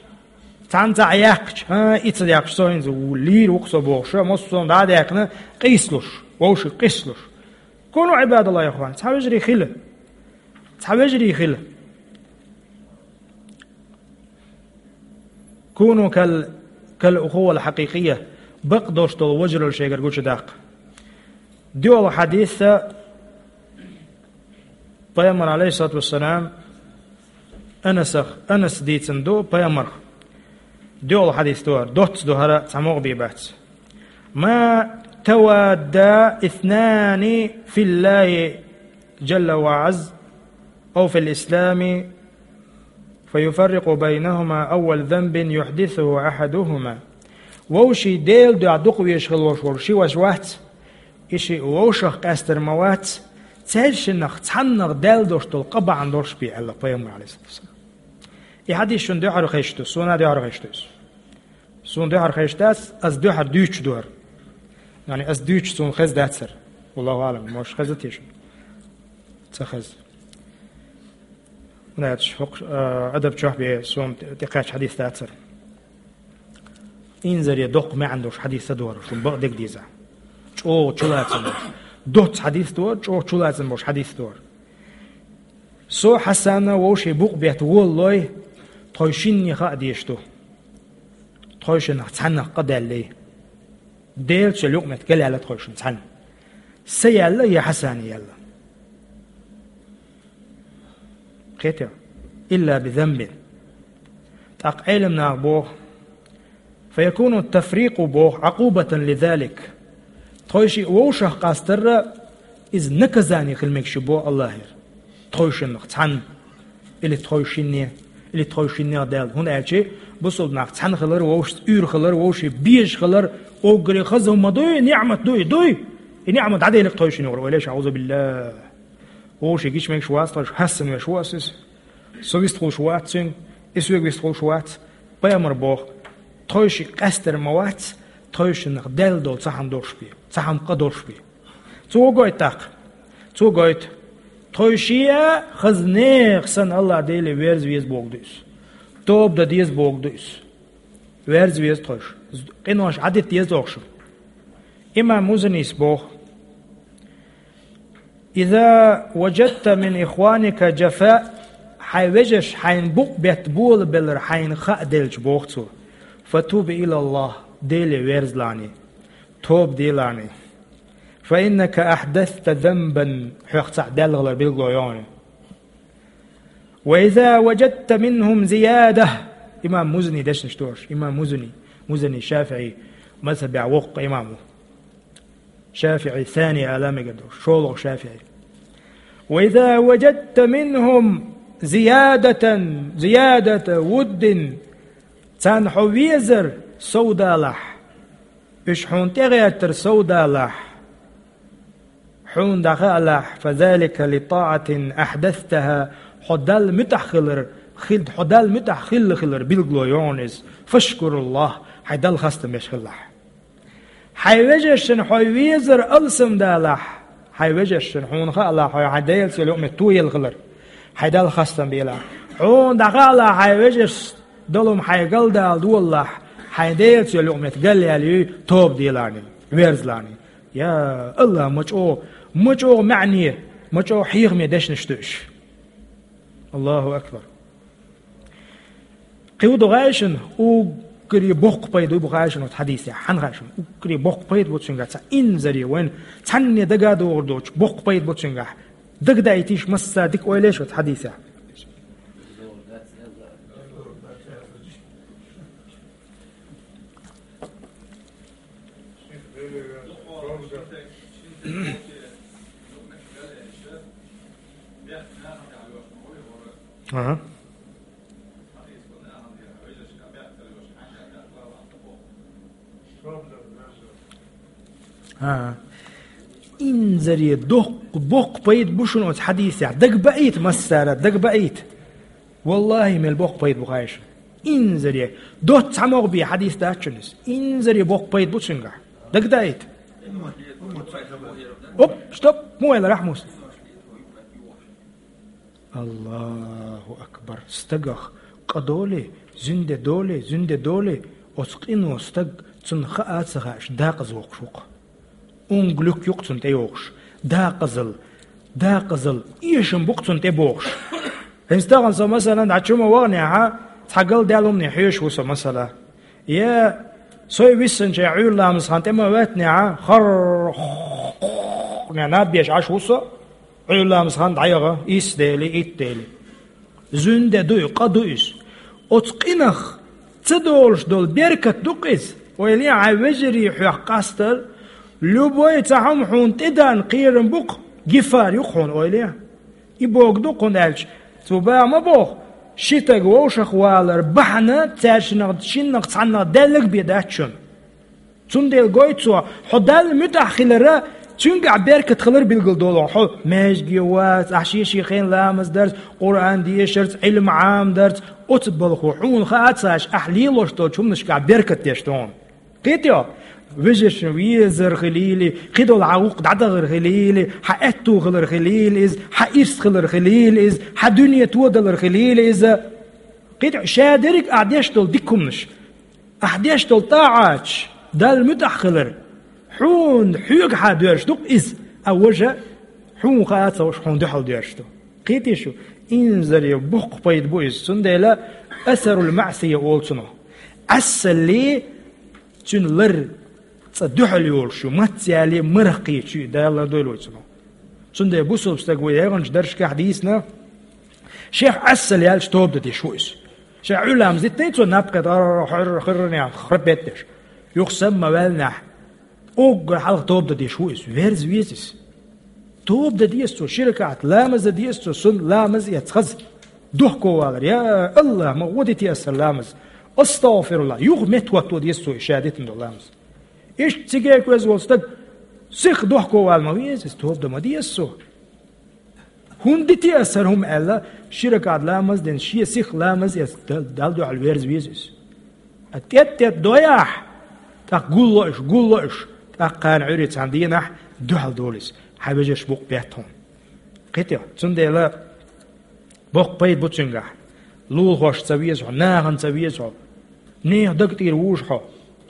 цхьамма цхьаъ яьккхича, хӀан, и ца яьккхича, со хӀинца лийр ву-кх со бохуша, массо а дӀа а даьккхина, къийсалуш, вовший къийсалуш. «كونوا عباد الله إخوانا». Цхьа вежарий хила. Цхьа вежарий хила. «كونوا كال-, كالأخوة الحقيقية». Бакъдолуш долу вежаралла шайгара гучудаккха. ДоьалгӀа хьадис, Пайхамар, Ӏалайхи ссалату вассалам, Анасах, Анас дийцина ду Пайхамарх. ДоьалгӀа хьадис ду хӀара, доцца ду хӀара, цхьа могӀа бен бац. «ما توادا اثنان في الله جل وعز أو في الإسلام فيفرق بينهما أول ذنب يحدثه أحدهما». Вовший Делан дуьхьа дукха везаш хила волуш волу ши ваша вац, и шиъ вовшах къаьстар ма вац, цаьршиннах цхьаннах даьлла долуш долу къа бахьана долуш бен, аьлла Пайхамар, Ӏалайхи ссалату вассалам. И хьадис шуна дуьхьара хезаш ду, суна а дуьхьара хезаш ду иза. Суна дуьхьара хезаш дац, ас дуьхьара дуьйцуш ду хӀара. Яъни ас дуьйцуш суна хезна дац хӀара. Валлаху аӀлам, может, хезна те шуна? Ца хезна. ХӀунда аьлча хӀокху, а, Ӏадаб чохь бен суна тӀекхаьчна хьадис дац хӀара. Инзаре доккха маьӀна долуш хьадис ца ду хӀара, шуна бакъдерг деза. ЧӀогӀа чулацам болуш. Доцца хьадис ду хӀара, чӀогӀа чулацам болуш хьадис ду хӀара. Со Хьасана вовшийн букъ бетта волалой, тхойшинна хаа дезаш ду. Тхойшиннах цхьаннах къа даьллий. Делаца йолу юкъаметтиг галъяьлла тхойшинна цхьаьна. Сан яьлла я Хьасана яьлла. Кхетий? «إلا بذنب». ТӀаккха Ӏеламнаха боху: «فيكون التفريق», боху, «عقوبة لذلك». Тхойшиъ вовшах къастарра иза наказание хила мегаш ю боху Аллахьера. Тхойшиннах цхьанна. Или тхойшинне, или тхойшиннех даьлла. ХӀунда аьлча бусалба нах цхьаьна хилар, вовшашца уьйр хилар, вовшийн безаш хилар, уггаре хаза хӀума дуй, ниӀмат дуй, дуй. И ниӀмат дӀаделира тхойшинна юкъара, ойла еш, аӀузубиллахӀ. Вовшийн гича мегаш вац тхойша, хьаьссан веш ву ас иза. Со вистхуьлуш вац цуьнга, и соьга вистхуьлуш вац. Пайхамар боху: тхойшиъ къаьстар ма вац, тхойшиннах даьлла долу цхьа хӀума долуш бен, цхьа хӀума къа долуш бен. Цо гойту тӀаккха. Цо гойту. Тхойшиъ а хаза нехан санна Аллахь Деле верза веза бохург ду иза. Тоба дан деза бохург ду иза. Верза веза тхойша. Къинош Ӏадита деза тхойша. Имам Музанис боху: «إذا وجدت من إخوانك جفاء», хьайн вежарша хьайна букъ бетта болабелар хьайна хааделча, боху цо, «فتب إلى الله», Деле верзалахь, тоба делахь. «فإنك أحدثت ذنبا», хьох цхьаъ даьлла хилар билгало йогӀу. «وإذا وجدت منهم زيادة». Имам Музани дешнаш дош. Имам Музани, Музани ШафиӀи мазхабехь воккха имам ву. ШафиӀи сани ала мегар ду, шолгӀа ШафиӀи. «وإذا وجدت منهم زيادة، زيادة ود», царна хьо везар сов далахь, уьш хьуна тӀегӀертар сов далахь, хьуна дӀахаалахь, «فذلك لطاعة أحدثتها», хьо Далла муьтӀахь хилар, хилла, хьо Далла муьтӀахь хилла хилар билгало йогӀу иза. «فاشكر الله», хьайн Далла хастам беш хилалахь. Хьайн вежаршна хьо везар алсам далахь, хьайн вежаршна хьуна хаалахь, хьо хьайн Делаца йолу юкъаметтиг тоелла хилар, хьайн Далла хастам белахь. Хьуна дӀахаалахь хьайн вежаршна долу хӀума хьайн галдала долалахь, хьайн Делаца йолу юкъаметтиг галъяьлла юй, тоба делахь, верзалахь. Я АллахӀ, ма чӀогӀа, ма чӀогӀа маьӀне, ма чӀогӀа хьехаме дешнаш ду уьш. АллахӀу акбар. Кхин хӀун ду хаьий шуна, уггаре боккха пайда хӀун бу хаьий шуна оцу хьадисехь? Хьан хаьий шуна? Уггаре боккха пайда бу цуьнгахь, цхьа инзаре вайна цхьанне дага а догӀур доцуш, боккха пайда бу цуьнгахь. Дагадаийтийша массара, дика ойла еш оцу хьадисехь. Ага. Ага. Инзаре доккха, боккха пайда бу шуна оцу хьадисехь. Дага баийта массара, дага баийта. Валлахи, мел боккха пайда бу хьайша. Инзаре. Доцца хьан могӀа бе хьадис дац шуна иза. Инзаре боккха пайда бу цуьнгахь. Дага даийта. Оп, стоп, муайла рахьмус. Аллаху акбар! Стагах къа долий, зуьнде долий, зуьнде долий, оцу къино стаг, цунна хаа а ца хааш, дакъаза воккхуш ву-кх. Унглюк ю-кх цунна тӀейогӀуш. Дакъазалла, дакъазалла, эшам бу-кх цунна тӀебогӀуш. ХӀинца тахана со, масала, дӀа чу ма ваханехьа, цхьа галдаьлла хӀумане хьоьжуш ву со, масала. Я, со виссанчу Ӏуьйра ламаза хан тӀе ма ваьттинехьа, хар-, наб беш Ӏаш ву со, Ӏуьйра ламаза хан дӀаяха, исс дели, итт дели. Зуьнде ду и, къа ду иза. Оцу къинах ца долуш долу беркат ду-кх иза. Ойла е, хьайн вежарий хьох къастар, любой цхьа хӀума хьуна тӀедеана кхерам бу-кх, гифар ю-кх хьуна, ойла е. И бохург ду-кх хьуна аьлча, цо баха ма боху, ши стаг вовшах валар бахьана цаьршиннах шиннах цхьаннах даьлларг бен дац шуна. Цундела гойту цо, хьо Далла муьтӀахь хилар, цуьнгахь беркат хилар билгал долу хьо маьждиге вац, ахь шен-шен хенахь ламаз дарца, Къуръан дешарца, Ӏилма Ӏамадарца, оцу балхо хьуна хаа а ца хааш, ахь лелош долчу хӀуманашкахь беркат деш ду хьуна. Кхетий хьо? Вежаршна везар хилийла, кхидолу хьан гӀуллакх дӀадахар хилийла, хьан аьтту хилар хилийла иза, хьан ирс хилар хилийла иза, хьан дуьне тодалар хилийла иза. Кхетий хьо, ша дерриг ахь деш долу дика хӀуманаш. Ахь деш долу тӀаӀаташ, Далла муьтӀахь хилар, хьуна хьоьгахьа доьрзуш ду-кх иза, а важа хьуна хаа а ца хууш, хьуна дуьхьал доьрзуш ду. Кхетий шу, инзаре боккха пайда бу иза, цундела асарул маӀсия олу цунах. Ӏаьссалле цуьнан лар цӀа дуьхьал йолуш ю, мац яле марха кхеташ ю, Дала лардойла вай цунах. Цундела бусалба стаг вай яьхначу даржашкахь дийцина, шех Ӏаьссалла яьлча тоба дан деш ву иза. Шех Ӏуьйра ламаз диттий цо, наб кхетта, хьуьрра, хьуьрра, храпет деш. Юха сама ма ваьллинехь, уггар хьалха тоба дан деш ву иза, верза веза иза. Тоба дан деза цо, ши ракаӀат ламаз дан деза цо, сунна ламаз эцна хаза. Дохковалар, я АллахӀ, ма гӀо дитий аса ламаз. АстагӀфируллахӀ, юха меттахӀотто деза цо и ша дитина долу ламаз. Иштта цига кхоьзза волу стаг сиха дохковала ма веза иза, тоба дан ма деза цо. ХӀунда дитий аса хӀара хӀума аьлла, ши ракаӀат ламаз дина, шен сиха ламаз эцна, Дал-, Далла дуьхьал верза веза иза. Ткъа тӀетта-тӀетта дой ахь, тӀаккха гулло уьш, гулло уьш, тӀаккха кхана Ӏуьйре цхьана дийнахь дуьхьал долу иза, хьан вежарш букъ бетта хьуна. Кхетий хьо, цундела боккха пайда бу цуьнгахь. Лулахошна ца веза хьо, нахана ца веза хьо, нехан даг тӀера вужу хьо,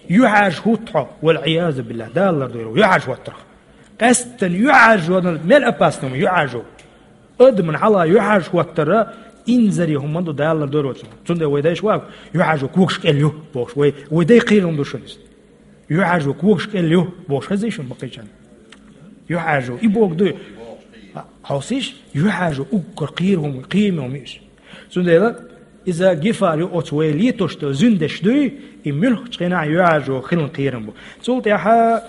юьхьӀаьржа хӀутту хьо, вал-Ӏиязу биллахӀ, Дала лардойла вай юьхьӀаьржа хӀоттарх. Къаьсттина юьхьӀаьржо мел опасный хӀума, юьхьӀаьржо. Адамна хьалха юьхьӀаьржа хӀоттар инзаре хӀума ду, Дала лардойла вай цунах. Цундела вай дайша ваха, юьхьӀаьржо когаш кӀел ю бохуш, вай, вай дай кхерам ду шуна иза. ЮьхьӀаьржо когаш кӀел ю бохуш хезий шуна баккхийчарна? ЮьхьӀаьржо, и бохург ду. Хьовсийша, юьхьӀаьржо уггар кхера хӀума, кхераме хӀума ю иза. Цундела иза гифар ю оцу вай летош долу зуьндеш дуй, и муьлххачу хенахь юьхьӀаьржо хилан кхерам бу. Цул тӀаьхьа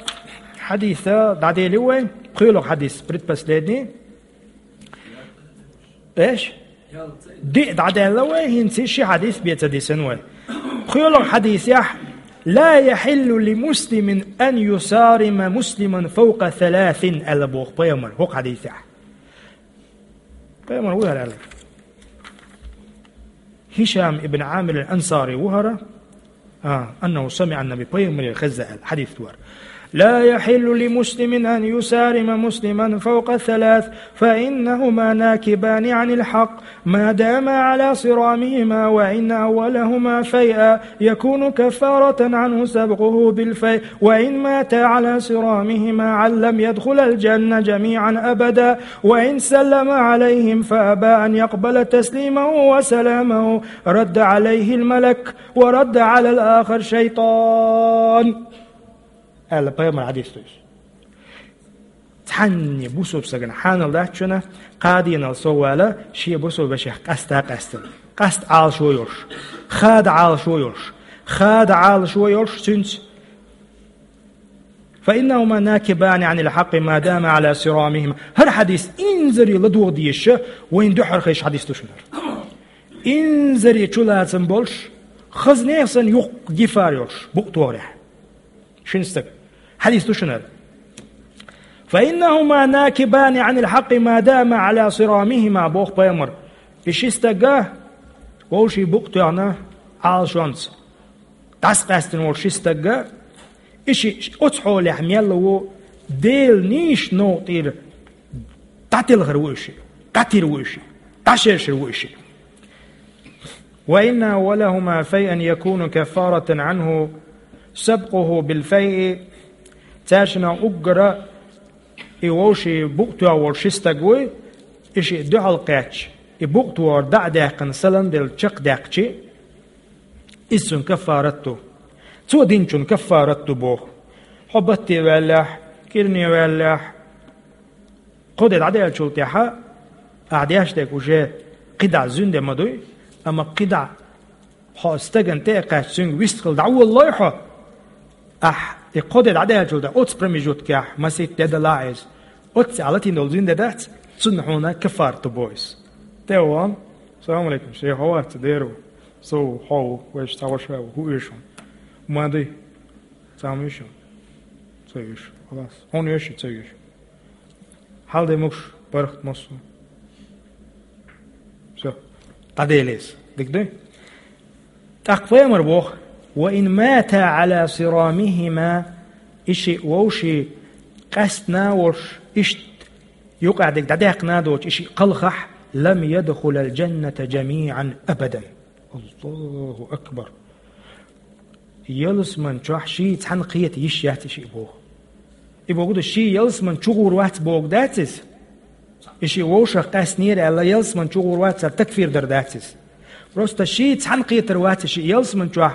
хьадиса дӀаделира вай, пхоьалгӀа хьадис, предпоследний. Эш? Диъ дӀадаьлла вай, хӀинца ши хьадис бен ца дисина вай. ПхоьалгӀа хьадисехь: «Ла яхьиллу ли муслимин ан юсарима муслиман фавкъа саласин», аьлла боху пайхамар хӀокху хьадисехь. Пайхамар ву хӀара аьлла? Хишам ибн Ӏамир ал-Ансари ву хӀара. А, أنه سمع النبي, пайхамаре хезна аьлла, хьадис ду хӀара. «لا يحل لمسلم أن يصارم مسلما فوق ثلاث، فإنهما ناكبان عن الحق، ما داما على صرامهما، وإن أولهما فيئا يكون كفارة عنه سبقه بالفيء، وإن ماتا على صرامهما علم يدخل الجنة جميعا أبدا، وإن سلم عليهم فأبى أن يقبل تسليمه وسلامه، رد عليه الملك، ورد على الآخر شيطان», аьлла пайхамар хьадис ду иза. Цхьанне бусалба стагана хьанал дац шуна, кхаа дийнал сов вала, шен бусалба вешех къаста а къаьстина, къаста Ӏалашо йолуш, хада Ӏалашо йолуш, хада Ӏалашо йолуш цуьнца. «فإنهما ناكبان عن الحق ما داما على صرامهما». ХӀара хьадис инзаре ладогӀа дезаш, вайна дуьххьара хезаш хьадис ду шуна хӀара. Инзаре чулацам болуш, хаза нехан санна юххе гифар йолуш, букъ тохарехь. Шина стаг. Хьадис ду шуна хӀара. فإنهما ناكبان عن الحق ما داما على صرامهما, боху пайхамар. И ши стаг вовшийн букъ тоьхна Ӏалашонца дӀасакъаьстина волу ши стаг, и шиъ оцу хьолехь мел ву, Делан нийсачу новкъа тӀера дӀателхар ву и шиъ, дӀатир ву и шиъ, дӀашершар ву и шиъ. وإن أولهما فيئا يكون كفارة عنه سبقه بالفيء. Цаьршиннан уггара и вовшийн букъ тоьхна волу ши стаг вуй, и шиъ дуьхьал кхаьчча, и букъ тохар дӀа а даьккхина, салам делла чекхдаьккхича, иза цуьнан каффарат ду. Цо динчун каффарат ду боху. Хьо батте ваьллехь, кӀирне ваьллехь, кхо де дӀадаьллачул тӀаьхьа, ахь деш дерг уже кхидӀа зуьнде ма дуй, амма кхидӀа хьо стагана тӀе а кхаьчча, цуьнга вистхила дӀаволалой хьо, ахь и кхо де дӀадаьллачул тӀаьхьа оцу промежуткехь масийтта де далахь иза. Оццехь латийна долу зуьнде дац, цунна хьуна каффарат ду боху иза. ТӀе а вахана: «Салам алейкум, шайх, хьо вац, дера ву? Со ву, хьо ву, вайша цхьа ваша ву, хӀун оьшу хьуна?» «Ма дуй». «Цхьа ма оьшу хьуна?» «Ца оьшу». «Халас. Хьуна оьшу, ца оьшу». «Хьал де могуш, бархат массо». Всё. ДӀаделира иза. Дика дуй? ТӀаккха пайхамар боху: «وإن ماتا على صرامهما», и шиъ вовшийн къаьстина а волуш, иштта юкъахь дерг дӀадаьккхина а доцуш, и шиъ кхалхахь, «لم يدخلا الجنة جميعا أبدا». Аллаху акбар! Ялсаман чохь ший цхьаьна кхета йиш яц и шиъ боху. И боху ду, ший ялсаман чу гӀур вац боху дац иза? И шиъ вовшах къаьстинера аьлла, ялсаман чу гӀур вац аьлла, такфир дар дац иза? Просто ший цхьаьна кхетар вац и шиъ ялсаман чохь,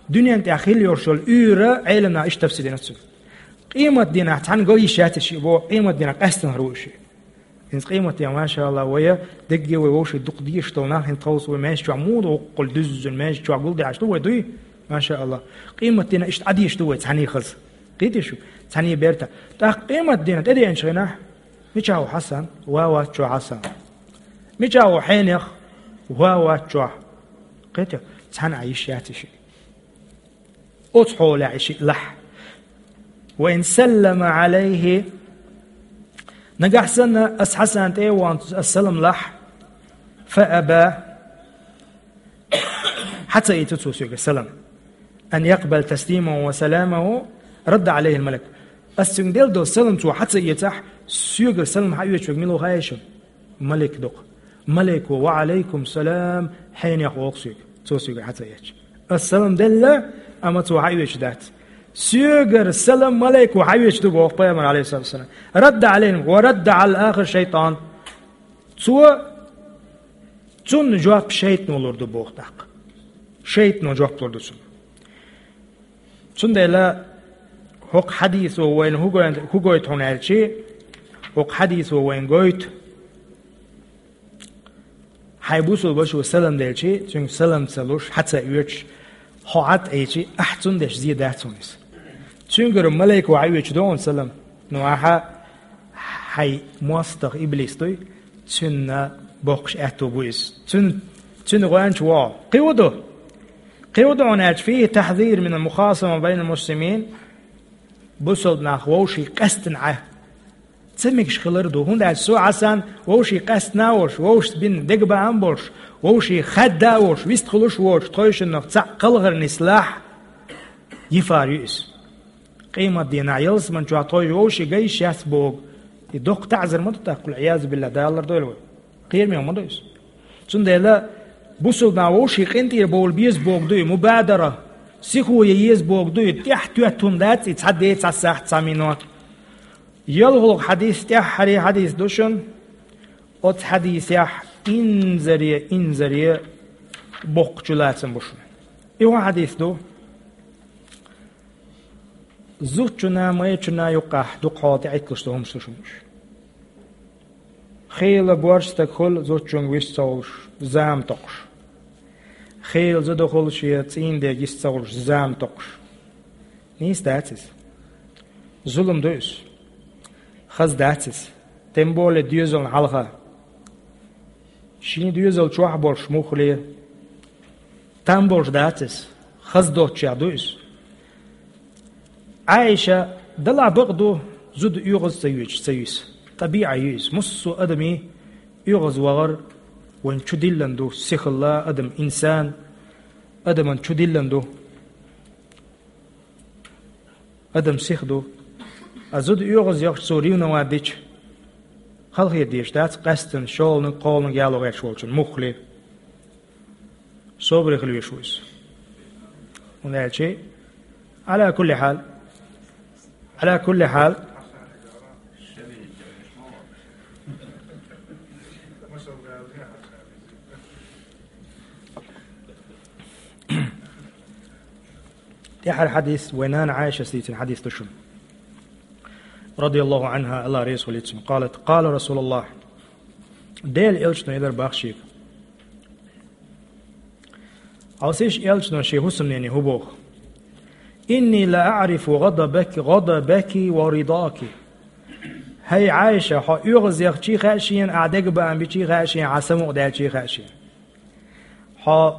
дуьнен тӀехь хилла йолуш йолу уьйр, Ӏеламнаха иштта тафсир дина цуьнан. Къематдийнахь цхьаьна го йиш яц и шиъ боху, къематдийнахь къаьстинарг ву и шиъ. Иза къематдийнахь, машаалла, вай дерриге вай вовшийн дукха дезаш долу нах, хӀинца тховса вай маьждиг чохь муха дуккхула дуьззина, маьждиг чохь гулдеш ду вай, дуй? Машаалла. Къематдийнахь иштта Ӏадезаш ду вай цхьаьний хаза. Кхетий шу? Цхьаьний берта. ТӀаккха къематдийнахь тӀедеанчу хенахь, мичахь ву Хьасан? Ва вац чохь Хьасан. Мичахь ву Хьенех? Ва вац чохь. Кхетий? Цхьаьна Ӏан йиш яц и шиъ. Оцу хьолехь и шиъ лахь. «وإن سلم عليه», нагахь санна ас Хьасана тӀе а вахана ас салам лахь, «فأبى», хьа ца ийцу цо соьгара салам, «أن يقبل تسليمه وسلامه رد عليه الملك». Ас цуьнга делла долу салам цо хьа ца эцахь, соьгара салам хьаоьцуш верг мила ву хаьий шуна? Малик ду-кх. Малико: «Ва Ӏалайкум салам, Хьенех», – боху соьга. Цо соьгара хьа ца эцча. Ас салам делла, амма цо хьаоьцуш дац. Соьгара салам малико хьаоьцуш ду боху пайхамар, алейхиссалату вассалам. «Радда Ӏалайна, ва радда Ӏала ахир шайтан». Цо, цунна жоп шайтано лур ду боху тӀаккха. Шайтано жоп лур ду цунна. Цундела хӀокху хьадисо вайна хӀу гойту, хӀу гойту хьуна аьлчи, хӀокху хьадисо вайна гойту, хьайн бусулба вашо салам делчи, цуьнга салам ца луш, хьа ца оьцуш, хьо хьа тӀе ийцчи, ахь цунна деш зе дац хьуна иза. Цуьнгара малайко хьаоьцуш ду хьуна салам, но ахьа хьайн мостагӀа иблис дуй, цуьнан боккхуш аьтто бу иза. Цуьнан, цуьнан гӀоьнча вогӀу. Кхин хӀун ду? Кхин хӀун ду хьуна аьлча, فيه تحذير من المخاصمة بين المسلمين. Бусалба нах вовшийн къаьстина Ӏа ца мегаш хилар ду. ХӀунда аьлча со Хьасан вовшийн къаьстина а волуш, вовшашца бина дегабаам а болуш, вовшийн хаьдда а волуш, вистхуьлуш а воцуш, тхойшиннах цхьаъ кхалхар нислахь, йифар ю иза. Къематдийнахь ялсаман чохь тхойша вовшийн ган йиш яц боху, и доккха таӀзар ма ду тӀаккха, Ӏиязу биллахӀ, Дала лардойла вай. Кхераме ма ду иза. Цундела бусалба нах вовшийн къинтӀера бовла беза боху ду и мубадара, сихо ян еза боху ду и, тӀаьхьа тоьттун дац и цхьа де, цхьа сахьт, цхьа минот. ЙолхалгӀа хьадис, тӀаьххьара хьадис ду шуна, оцу хьадисехь инзаре, инзаре боккхачу лацам бу шуна. И хӀун хьадис ду? Зудчунна, майрачунна юккъехь дукха хьоле тӀеӀитталуш долу хӀумаш ду шуна уьш. Хийла борша стаг хуьлу зудчуьнга вист ца хуьлуш, зама токхуш. Хийла зуда хуьлу шен цӀийнан дега йист ца хуьлуш, зама токхуш. Нийса дац иза. Зулам ду иза. Хаза дац иза. Тем более доьзална хьалха. Шен доьзал чохь болуш муххале. Там болуш дац иза. Хаза доцчех ду иза. Ӏайша, далахь бакъ ду, Зуда оьгӀаз ца йоьдуш ца йиса. ТӀабиӀа ю иза. Массо а адамий оьгӀаз вахар вайн чу диллина ду, сихалла адам, инсан, адаман чу диллина ду. Адам сиха ду. А зуда оьгӀаз яхаш цо ревновать дича, халахетар деш дац, къаьстина шолниг, кхолниг яло гӀерташ волчун муххале. Собаре хила везаш ву иза. ХӀунда аьлча, Ӏала кулли хьал. Ӏала кулли хьал. ТӀехьара хьадис, вай нана Ӏайшас дийцина хьадис ду шуна. رضي الله عنها, АллахӀ реза хуьлийла цунна. قالت: قال رسول الله. Делан элчано элира бах шийга. Хьовсийша, элчано шен хӀусамнене хӀу боху: إني لأعرف غضبك، غضبك ورضاك. ХӀай Ӏайша, хьо оьгӀаз яхча а хаьа шена, ахь дегабаам бича а хаьа шена, хьан самукъадаьлча а хаьа шена. Хьо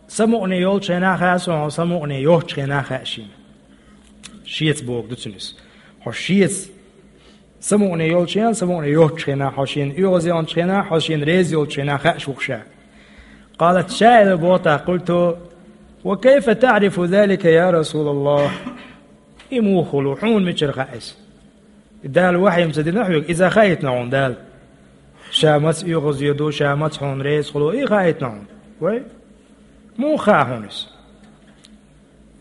самукъане йолчу хенахь хаьа суна, хьо самукъане йоцчу хенахь хаьа шена. Шеца бохург ду цуьнан иза. Хьо шеца самукъане йолчу хенахь, самукъане йоцчу хенахь, хьо шена оьгӀаз яханчу хенахь, хьо шена реза йолчу хенахь хаьа шух ша. قالت, ша элира боху тӀаккха: قلت: وكيف تعرف ذلك يا رسول الله؟ И муха хуьлу, хьуна мичара хаьа иза? Дала вахьйина ца дина хьоьга, иза хаийтина хьуна Дала? Ша маца оьгӀаз йо ду, ша маца хьуна реза хуьлу, и хаийтина хьуна? Вай, муха хаьа хьуна иза?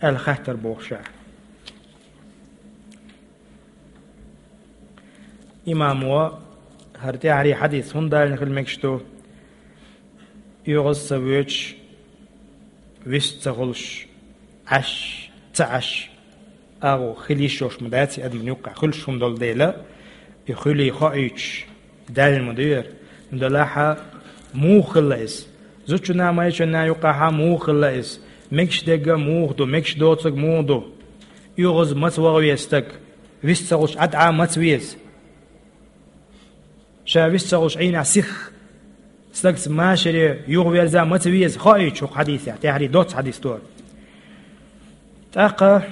Аьлла хаттар боху ша. Имамо хӀара тӀаьхьарий хьадис хӀунда далийна хила мегаш ду? ОьгӀаз ца воьдуш, вист ца хуьлуш, Ӏаш, ца Ӏаш, агӀо хила йиш йолуш ма дац и адамна юккъехь, хуьлуш хӀума долу дела, и хуьлий хоуьйтуш, даьлла ма ду яра. ХӀунда аьлча муха хилла иза? Зудчунна, майрачунна юккъехь муха хилла иза? Мегаш дерг муха ду, мегаш доцург муха ду? ОьгӀаз маца ваха веза стаг? Вист ца хуьлуш Ӏад Ӏа маца веза? Ша вист ца хуьлуш Ӏийнехь сиха стагца машаре юхаверза маца веза? Хоуьйтуш хӀокху хьадисехь, тӀаьхьарий доцца хьадис ду хӀара. ТӀаккха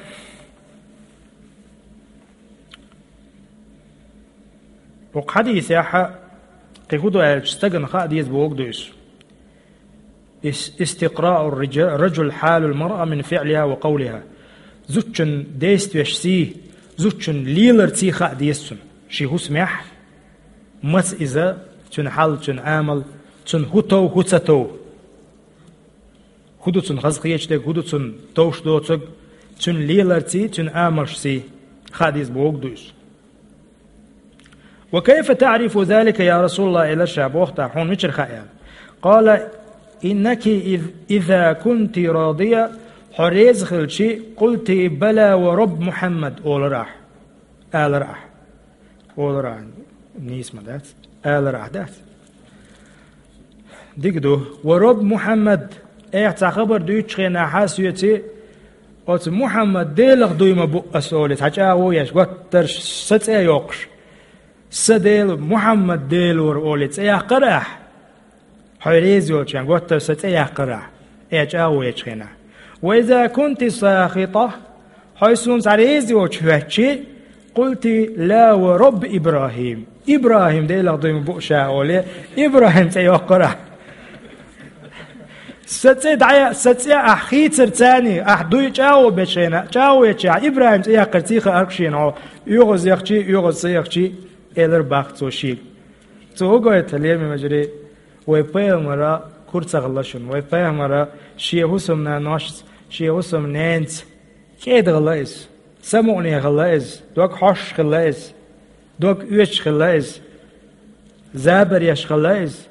хӀокху хьадисехь кхин хӀун ду аьлча, стагана хаа деза бохург ду иза. Ис-, استقراء الرج-، الرجل حال المرأة من فعلها وقولها. Зудчун действеш сий, зудчун лелар сий хаа деза цунна. Шен хӀусамехь маца иза, цуьнан хьал, цуьнан амал, цунна хӀун тов, хӀун ца тов. ХӀун ду цунна хазахеташ дерг, хӀун ду цунна товш доцург, цуьнан лелар сий, цуьнан амалш сий хаа деза бохург ду иза. وكيف تعرف ذلك يا رسول الله, элира ша боху тӀаккха, хьуна мичара хаьа аьлла. قال: إنك إذ-، إذا كنت راضية, хьо реза хилча, قلت: بلى ورب محمد, олура ахь. Алара ахь. Олура ахь. Нийса ма дац. Алара ахь дац. Дика ду. Ва Рабби Мухьаммад, айхьа цхьа хабар дуьйцучу хенахь соьца, оцу Мухьаммад Делах дуй ма бу ас олий, цхьа чӀагӀо еш, готтарш сан цӀе а йоккхуш. Сан Дела Мухьаммад Делора олий цӀе яккхара ахь? Хьо реза йолчарна готтарш сан цӀе яккхара ахь? Э, чӀагӀо ечу хенахь. Ва иза кунти сахита, хьо суна цхьа реза йоцуш хӀоьттича, къулти: ла ва Рабби ИбрахӀим. ИбрахӀим Делах дуй ма бу ша олий, ИбрахӀим цӀе йоккхара ахь. Сан цӀе дӀа-, сан цӀе ахь хийцар царний, ахь дуй чӀагӀо бечу хенахь, чӀагӀо ечу ахь, ИбрахӀим цӀе яккхар ций хаар шена хьо, оьгӀаз яхчий, оьгӀаз ца яхчий, элар баккха цо шийга. Цо хӀун гойту, лераме вежарий, вай пайхамара кура ца хилла шуна, вай пайхамара шен хӀусамнаношца, шен хӀусамненца кӀеда хилла иза, самукъане хилла иза, дог хьоьжуш хилла иза, дог оьцуш хилла иза, забар еш хилла иза,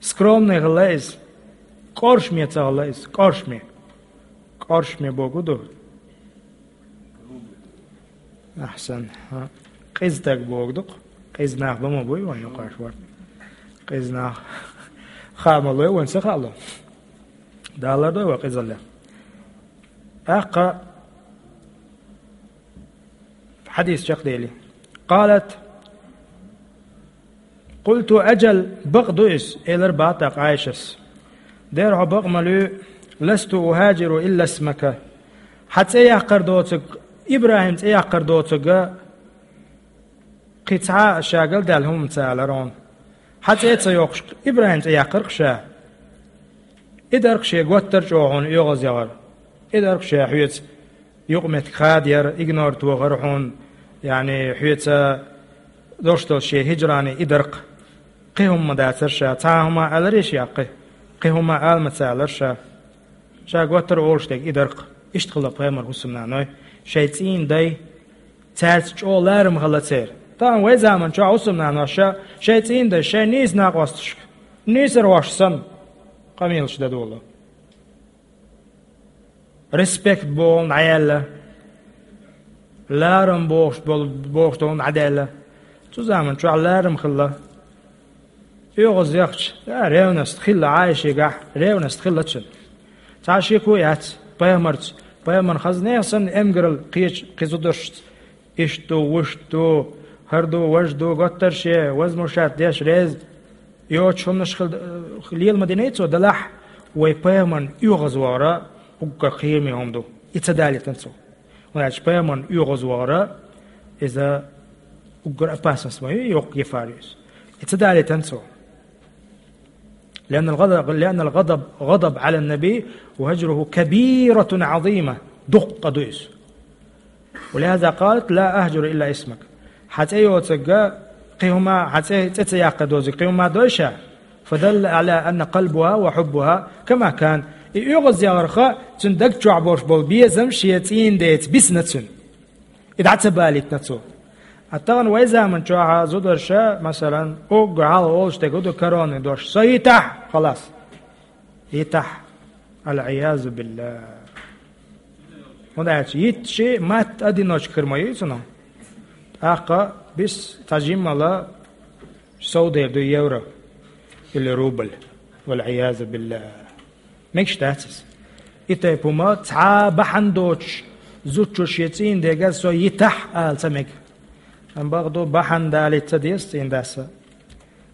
скромный хилла иза, кӀоршаме ца хилла иза, кӀоршаме. КӀоршаме бохург ду. Ахьсан. Хьа. Къиза стаг бохург ду-кх. Къиза нах ло ма буй вайн юкъахь вара. Къиза нах хаа ма лой вайн, ца хаало. Дала лардойла вай къизаллех. ТӀаккха хьадис чекхдели. Къалат: къулту: аджал, бакъ ду иза, элар баха тӀаккха Ӏайшас. Дера, хьо бакъ ма луьй, ласту ухаджиру илла исмака. Хьан цӀе яккхар доцург ИбрахӀим цӀе яккхар доцург кхин цхьа а ша галдаьлла хӀума ца алар хьуна. Хьа цӀе ца йоккхуш, ИбрахӀим цӀе яккхар-кх ша. И дар-кх шен готтар чӀогӀа хьуна оьгӀаз яхар. И дар-кх ша хьоьца юкъаметтиг хадаяр, игнор тохар хьуна, яъни хьоьца дош долу шен хӀижрани и дар-кх. Кхин хӀума ма дацар ша, цхьа хӀума аларий ша кхин? Кхин хӀума ала ма ца алар ша. Ша готтар олуш дерг и дар-кх. Иштта хилла пайхамар хӀусамнаной, шайн цӀийнан дай, цаьрца чӀогӀа ларам хилла церан. Тахана вай заман чохь хӀусамнаноша шайн цӀийнан дайша шайн нийса накъосташка, нийсархошка санна, къамелаш дан долу. Респект бохург дӀаяьлла, ларам бохуш болу, бохуш долу дӀадаьлла. Цу заман чохь ларам хилла. ОьгӀаз яхча, а, ревность хилла Ӏайшигахь, ревность хилла цуьнан. Цхьа шеко яц пайхамарца, пайхамарна хаза нехан санна эмгаралла кхечу кхин зударшца. Иштта ду, вуьшта ду, хӀара ду, важа ду, готтар шен, возмущать деш, реза йоцуш хӀуманаш хила, лела ма диний цо, делахь вай пайхамарна оьгӀаз вахара уггар кхераме хӀума ду. И ца далийтина цо. ХӀунда аьлча пайхамарна оьгӀаз вахара, иза уггар опасность ма ю, йоккха гефар ю иза. И ца далийтина цо. لأن الغضب، لأن الغضب، غضب على النبي وهجره كبيرة عظيمة. Дуккха ду иза. ولهذا قالت: لا أهجر إلا اسمك. Хьан цӀе йоцург кхин хӀума, хьан цӀе, цӀе ца яккха дозург кхин хӀума дой ша? فدل على أن قلبها وحبها كما كان. И оьгӀаз яхарх цуьнан даг чохь болуш болу безам шен цӀийнан деца бисина цуьнан. И дӀа ца балийтина цо. А тахана вай заман чохь зударша, масалан, уггар хьалха олуш дерг хӀун ду, коронный дош: «Со йитахь, халас». Йитахь. العياذ بالله. ХӀунда аьлча йитча матта одиночка хир ма ю цунах. ТӀаккха бис цхьа жиммала совдер ду евро или рубль. والعياذ بالله. Мегаш дац иза. И тайпа хӀума цхьа а бахьана доцуш, зудчо шен цӀийнан дега «со йитахь» ала ца мега. Амма бакъду, бахьана далийта ца деза цӀийнан дас а.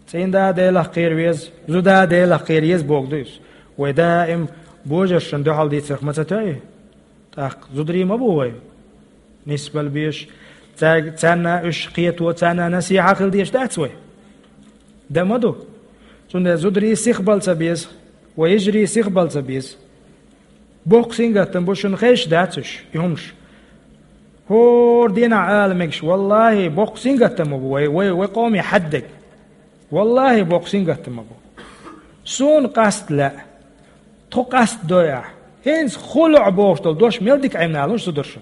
ЦӀийнан да Делах кхера веза, зуда Делах кхера еза бохург ду иза. Вай даим божаршна дуьхьал дийцарх ма ца тоьий? ТӀаккха зударий ма бу вай. Нисбала безаш, цаьрга, царна уьш кхето, царна насихьа хила дезаш дац вай? Дан ма ду. Цундела зударий сихбала ца беза, вай йижарий сихбала ца беза. Боккха сингаттам бу, шуна хезаш дац уьш, и хӀумаш. ХӀора дийнахь ала мегаш, валлахӀи, боккха сингаттам бу вай, вай, вай къоме хьаьддерг. ВаллахӀи, боккха сингаттам бу. Суна къаста лаьа. Тхо къаста дой ахь. ХӀинца хӀу лоӀ бохуш долу дош мел дика Ӏемина луш зударшна.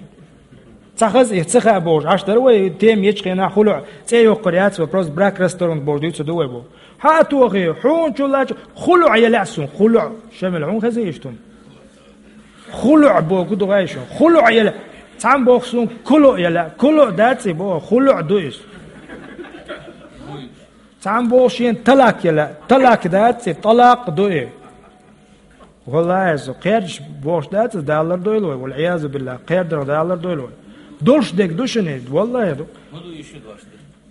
Ца хаза и, ца хаа бохуш, Ӏаш дара вай тема ечу хенахь хӀу лоӀ, цӀе йоккхур яц вай, просто брак расторгнуть бохуш дуьйцур ду вай боху. Хьа а тохий, хьуна чу лачу, хӀу лоӀ я лаьа суна, хӀу лоӀ, Шамил, хьуна хеза иштта хӀума? ХӀу лоӀ боху ду гӀай шуна, хӀу лоӀ я лаьа. Цхьамма боху суна, ку лоӀ я лаьа, ку лоӀ дац и боху, хӀу лоӀ ду иза. Цхьамма боху шена талак я лаьа, талак дац и, талакъ ду и. ВаллахӀи, со кхердаш бохуш дац иза, Дала лардойла вай, валӀиязу биллахӀ, кхердарх Дала лардойла вай. Долуш дерг ду шуна иза, валлахӀи ду.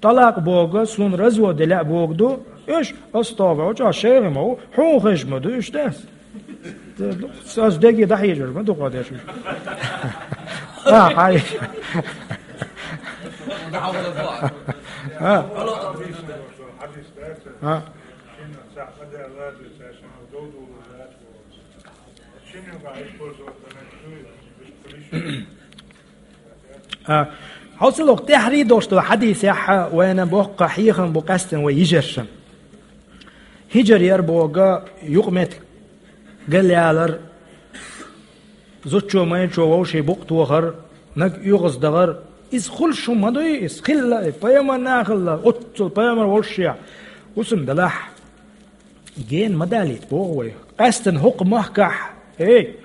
ТӀалакъ боху, суна развод де лаьа боху ду, уьш, астагӀфируллахӀ, чӀогӀа шайгӀа ма ву, хьуна хезаш ма ду уьш, дас. Ас деге дӀахьежар ма ду кхо деш уьш. А, хьай. А. А. А, хьовсалгӀа тӀаьхьарий долуш долу хьадисехь вайна боккха хьехам бу къаьстина вай йижаршна. ХӀижар яр боху юкъаметтиг галъялар, зудчо майрачо вовшийн букъ тохар, наг оьгӀаздахар, иза хуьлуш хӀума ма дуй, иза хилла, пайхамарна а хилла, оццул пайхамар волушшехь, хӀусам далахь. Гена ма далийта, боху вай. Къаьстина хӀокху махкахь, эй,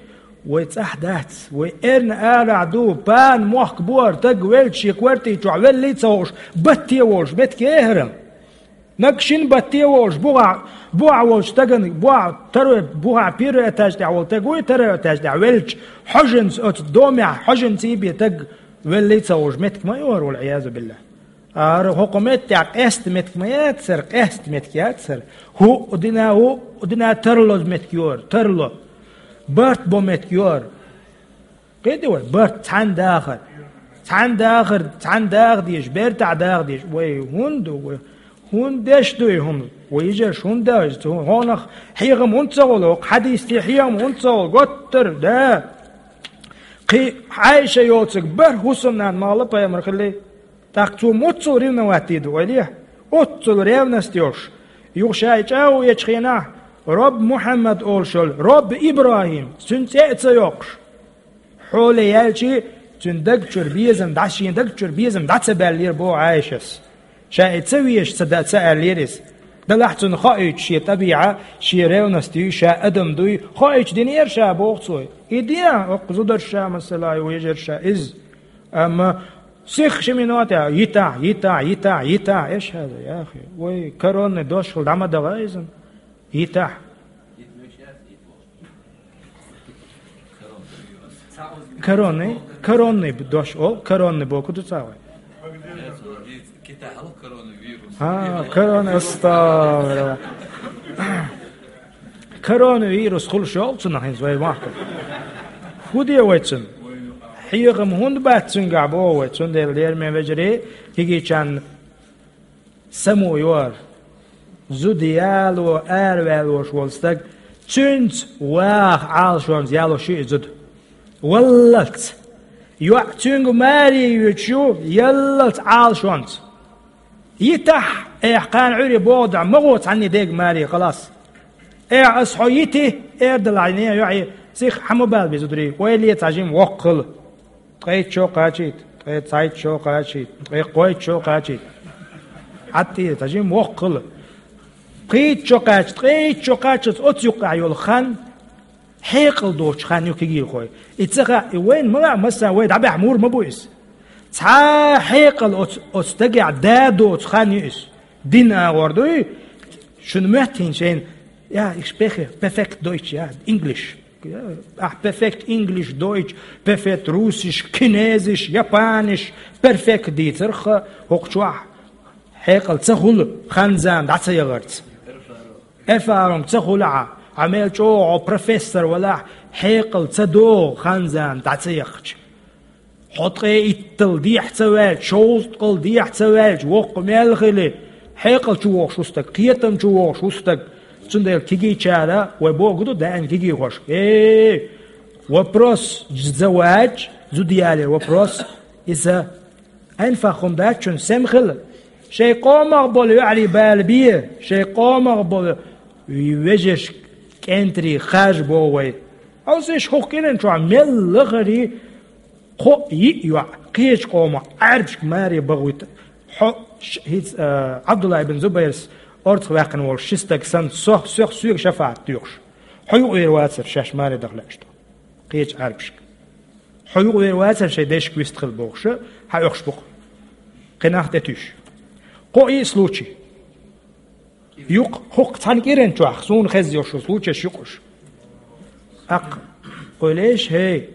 вай цӀахь дац, вай эрна арахь ду, пана мохк бора, таг велча шен квартий чохь веллий ца хууш, батте волуш, меттиг яхара. Наг шина батте волуш, бухахь, бухахь волчу стагана, бухахь, второй, бухахь первый этаж тӀехь волу таг вуй, второй этаж тӀехь велча, хьожанца оцу домехь, хьожанца бен таг веллий ца хууш, меттиг ма ю хӀара, валӀиязу биллахӀ. ХӀара хӀокху меттехь къаьста меттиг ма яц хӀара, къаьста меттиг яц хӀара. ХӀуъа дина, хӀуъа дина тарло меттиг ю хӀара, тарло. Барт бо меттиг ю хӀара. Кхетий вай, барт цхьаьна дахар. Цхьана дахар, цхьана даха дезаш, бертахь даха дезаш. Вай хӀунда ду, вай хӀунда деш ду и хӀума? Вай йижарш хӀунда деш ду? Хьонах хьехам хӀунда ца хуьлу, хӀокху хьадисте хьехам хӀунда ца хуьлу? Готтар, да. Кхин Ӏайша йоцург бархӀ хӀусамнана ма-аллара пайхамар хилла. ТӀаккха цо муьлхачул ревновать дийр ду, ойла е? Оццул ревность йолуш. Юха ша и чӀагӀо ечу хенахь, Рабби Мухьаммад олуш йолу, Рабби ИбрахӀим, цуьнан цӀе а ца йоккхуш. Хьоле яьлча, цуьнан даг чуьра безам дӀа, шен даг чуьра безам дӀа ца баьллера боху Ӏайшас. Ша и ца везаш ца да-, ца аьллера иза. Делахь цунна хоуьйтуш шен тӀабиӀат, шен ревность юй, ша адам дуй, хоуьйтуш динера ша боху цо. И де, оккха зударша, масала, вежарша, иза. Амма сих ши минот а, йитахь, йитахь, йитахь, йитахь, эш хьаза, яхи. Вай, коронный дош хила дӀа ма даха иза. Йитахь. Коронный, коронный дош, о, коронный боку ду цавай. А, корона, астагфирулла. Коронавирус хуьлуш йолу цунах хӀинца вай махкахь. ХӀун де вай цунна? Хьехам хӀунда бац цуьнгахь боху вай, цундела лераме вежарий, кегийчарна само йора. Зуда яло араваьллош волу стаг, цуьнца ваха Ӏалашонца яло ши и зуда. Валлалц. ЙоӀ цуьнга маре йоьдуш ю, яллалц Ӏалашонца. Йитахь, эхь, кхана Ӏуьйре боху дӀа, ма гӀо цхьанний дега маре, халас. Эхь, ас хьо йити, эр далахь, не, йоӀе, сих хьан ма бала беза, зударий, ойла е цхьа жима воккха хила. Ткъе итт шо кхачийта, ткъе цхьайтта шо кхачийта, ткъе кхойтта шо кхачийта. Ӏаттийра, цхьа жима воккха хила. Кхийтта шо кхача, ткъе итт шо кхачалц оцу юккъехь йолу хан, хьекъал доцучу хан ю кегийрхой. И ца хаьа, и вайна ма хаьа, масса вай дӀабаьхьа мур ма бу иза. Цхьа хьекъал оцу, оцу дагехь да доцу хан ю иза. Дин агӀор дуй, шуна моьттина шайна, я, ich spreche perfekt Deutsch, я, English. Ахь perfect English, Deutsch, perfect Russisch, Chinesisch, Japanisch, perfect дийцарх, хӀокху чохь хьекъал ца хуьлу, хан-зама дӀа ца яхарца. Эрфарунг ца хуьлу хьан, хьан мел чӀогӀа хьо профессор валахь, хьекъал ца догӀу, хан-зама дӀа ца яхча. Хьо ткъе иттал дехьа ца ваьлча, шовзткъал дехьа ца ваьлча, воккха мел хили, хьекъал чу вогӀуш ву стаг, кхетам чу вогӀуш ву стаг. Цундела кегийчара, вай боху ду даим кегийхошка: «Эй, вопрос завач, зуда яле вопрос, иза айнфах хӀума дац, чун сема хила. Шайн къомах болу йоӀарий бала бе, шайн къомах болу вежаршка, кӀентарий хажа боху вай». Хьовсийша, хӀокху кӀиран чохь мел лахарий, кхоъ-йиъ йоӀ, кхечу къомах Ӏаьрбашка маре бахуьйту. Хьо, ш-, хӀинца, а, Ӏабдулла ибн Зубайрс орцах ваьккхина волу ши стаг санна, со, сох, соьга шафаӀат доьхуш. Хьо юкъавер вацара шаьш маре даха лаьаш ду. Кхечу Ӏаьрбашка. Хьо юкъавер вацара шайн дешка вистхила бохуша, хьан оьхуш бу-кх. Кхин нах тӀетуьйсуш. Кхоъ-йиъ случай. Юкъ, хӀокху цхьана кӀиран чохь суна хезна йолуш случайш ю-кх уьш. Аккха, къуьлеш, хӀей,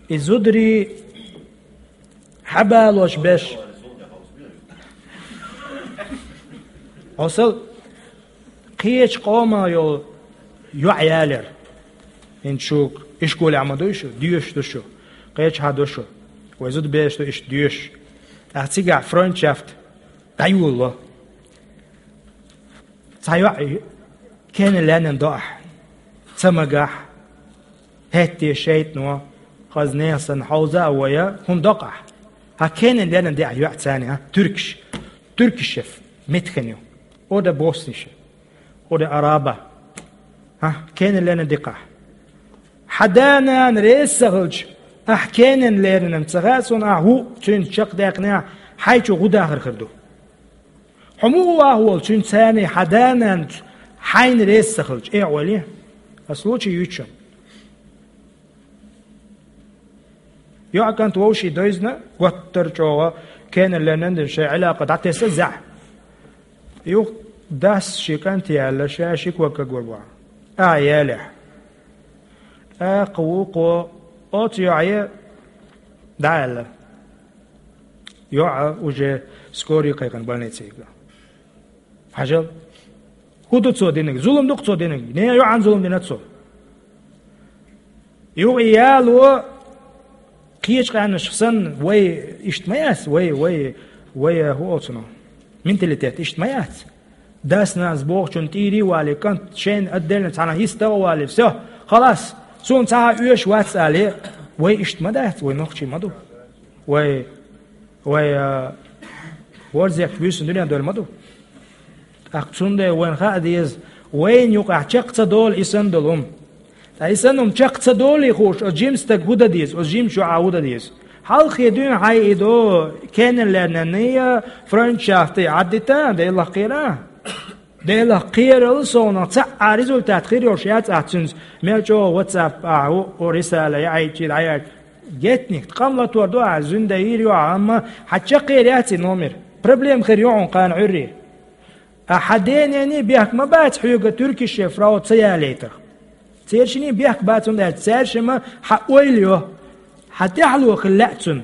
и зударий хьабалош беш. Хьо сал кхечу къомах йолу йоӀ ялера. ХӀинца шу ишколехь ма дуй шу, доьшуш ду шу, кхечахьа ду шу. Вай зуда бераш ду иштта доьшуш. ТӀаккха цигахь фройндшафт дӀайолало. Цхьа йоӀ кенан лаьнна до ахь, ца магахь, хӀетте шайтӀано, хаза нехан санна хьовза а вой, хӀума до-кх ахь. Хьан кенан лаьнна де ахь йоӀ царна, а? Туьркиш. Туьркиш шеф, меттиган ю. Ода боссанаш. Ода араба. Хьан кенан лаьнна дикхахь. Хьан да-нана реза ца хилча, ахь кенан леринан ца хаьа суна, ахь хӀуъа цуьнца чекхдаьккхинехь, хьайчу гӀу дахар хир ду. Хьо муха ваха волу цуьнан царний хьан да-нанца хьайна реза ца хилча, э, Ӏоли? Ас лучи юьйцу шуна. ЙоӀ кӀант вовший дойзна, готтара чӀогӀа кенан леринан дина шайн Ӏилакъа дӀатесна зехь. Юха дас ши кӀант яьлла, ша ши ког кагор вахьа. А, ялехь. ТӀаккха вукхо оцу йоӀе дӀааьлла. ЙоӀ уже скорый кхайкхина больнице йигна. Хьажал. ХӀун ду цо динарг? Зулам ду-кх цо динарг? Не, йоӀан зулам дина цо. Юха и яло Кхечу къаьмнашка санна, вай иштта ма яц, вай, вай, вай, хӀун олу цунах, менталитет иштта ма яц. Дас-нанас бохучун тӀера а валий, кӀант шайна отдельно цхьана йистагӀа а валий, всё, халас, суна цхьа а оьшуш вац алий, вай иштта ма дац, вай нохчий ма ду. Вай, вай, а, ворзекх буьйсанна дуьнен дойла ма ду. ТӀаккха цундела вайна хаа деза, вайна юкъахь чекх ца долу и санна долу хӀума. Ткъа и санна хӀума чекх ца долий хууш, оцу жима стага хӀун дан деза, оцу жимачу йоӀа хӀун дан деза? Хьалххе дуьйна хьайн и до, кеннерлернанний, френдшафтий Ӏаддита, Делах кхера. Делах кхерал совнах цхьа а результат хир йолуш яц ахь цуьнца, мел чӀогӀа WhatsApp ахь ву, о, рисала яьхьийчий, дӀаяьхьийчий. Гетник, къам латор ду ахь, зуьнда йийр ю ахь, амма хьан чекхъер яц и номер. Проблема хир ю хьуна кхана Ӏуьйре. Ахьа денений бехк ма бац хьоьга туркише фрау ца ялийтарх. Цершиний бехк бац, хӀунда аьлча цаьршимма хьан ойла йо, хьан тӀаьхьало хила лаьа цунна.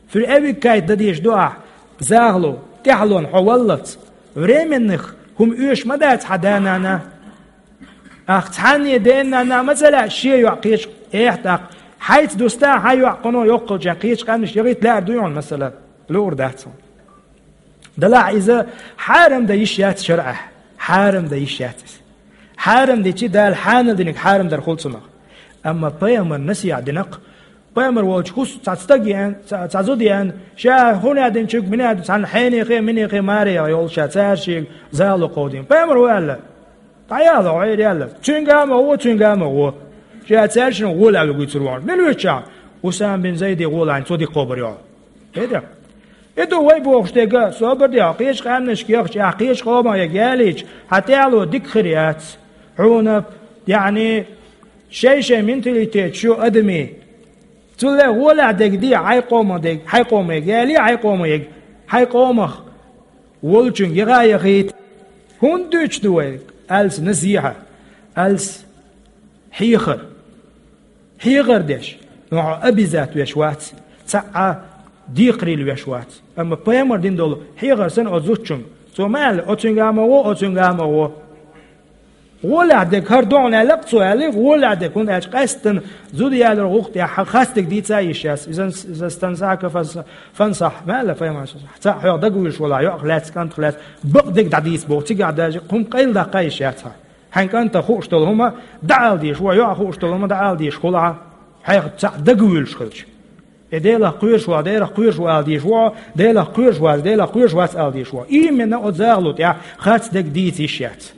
Фуьр эвиккайт дан дезаш ду ахь, захало, тӀаьхьалонна хьо валлалц. Временных хӀума оьшуш ма дац хьан да-нана. Ахь цхьанне дена-нана ма ца лаьа шен йоӀ кхечу, эхь тӀаккха. Хьайца дуста хьан йоӀ кхуьно йоккхалча кхечу къаьмнаш яхийта лаьар дуй хьуна, масала, луур дац хьуна. Делахь иза хьарам дан йиш яц шарӀехь. Хьарам дан йиш яц иза. Хьарам дичи Дала хьанал диниг хьарам дар хуьлу цунах. Амма пайхамар насихьа динакх, пайхамар волчу хӀусу цхьа стаг еана, цхьа, цхьа зуда еана, ша хӀун а динчуьнга, мина а ду, цхьана хьенехе, минехе маре йолуш ша цаьршига зало кховдийна. Пайхамар ву аьлла. ДӀаяла, гӀайр яла. Цуьнга а ма гӀо, цуьнга а ма гӀо. Ша цаьршина гӀола аьлла гуьйцур вахана. Мила вуьту ша? Усам бин Зайде гӀола хьайна цо дика кхобур йо. Хеда? И ду вай бохуш дега, собар де, хьо кхечу къаьмнашка яхча, ахь кхечу къомах яга ялийча, хьан тӀаьхьало дика хир яц. Хьуна, яъни, шай-шай менталитет шу адамий. Цулла гӀолахь дега де, хьайн къомах дега, хьайн къомах яга ялий, хьайн къомах яга, хьайн къомах волчуьнга яха а яхийта. ХӀунда дуьйцуш ду вай? Алс насихьа, алс хьехар. Хьехар деш, но хьо обязат веш вац, цхьа а декхарийла веш вац. Амма пайхамар дина долу хьехар санна оцу зудчуьнга. Цо ма аьлла, оцуьнга а ма гӀо, оцуьнга а ма гӀо. ГӀолехь дега, хӀара догӀна аьлла-кх цо аьлла, гӀолехь дега, хӀунда аьлча къаьстина зуда ялар гӀуллакх тӀехь хастаг дийца а йиш яц. Иза, иза стан сака фан-, фансахь, ма аьлла пайхамар, цхьаъ хьох дагавуьйлуш валахь, йоӀах лаьцна, кӀантах лаьцна, бакъдерг дӀадийца боху, цигахь даже хӀума къайладаккха а йиш яц хьан. Хьайн кӀанта хууш долу хӀума дӀаала дезаш ву, йоӀа хууш долу хӀума дӀаала дезаш хуьлу хьан, хьайх цхьаъ дагавуьйлуш хилча. И Делах кхоьруш ву, Делах кхоьруш ву ала дезаш ву, Делах кхоьруш вац, Делах кхоьруш вац ала дезаш ву. Именно оцу захало тӀехь харц дерг дийца йиш яц.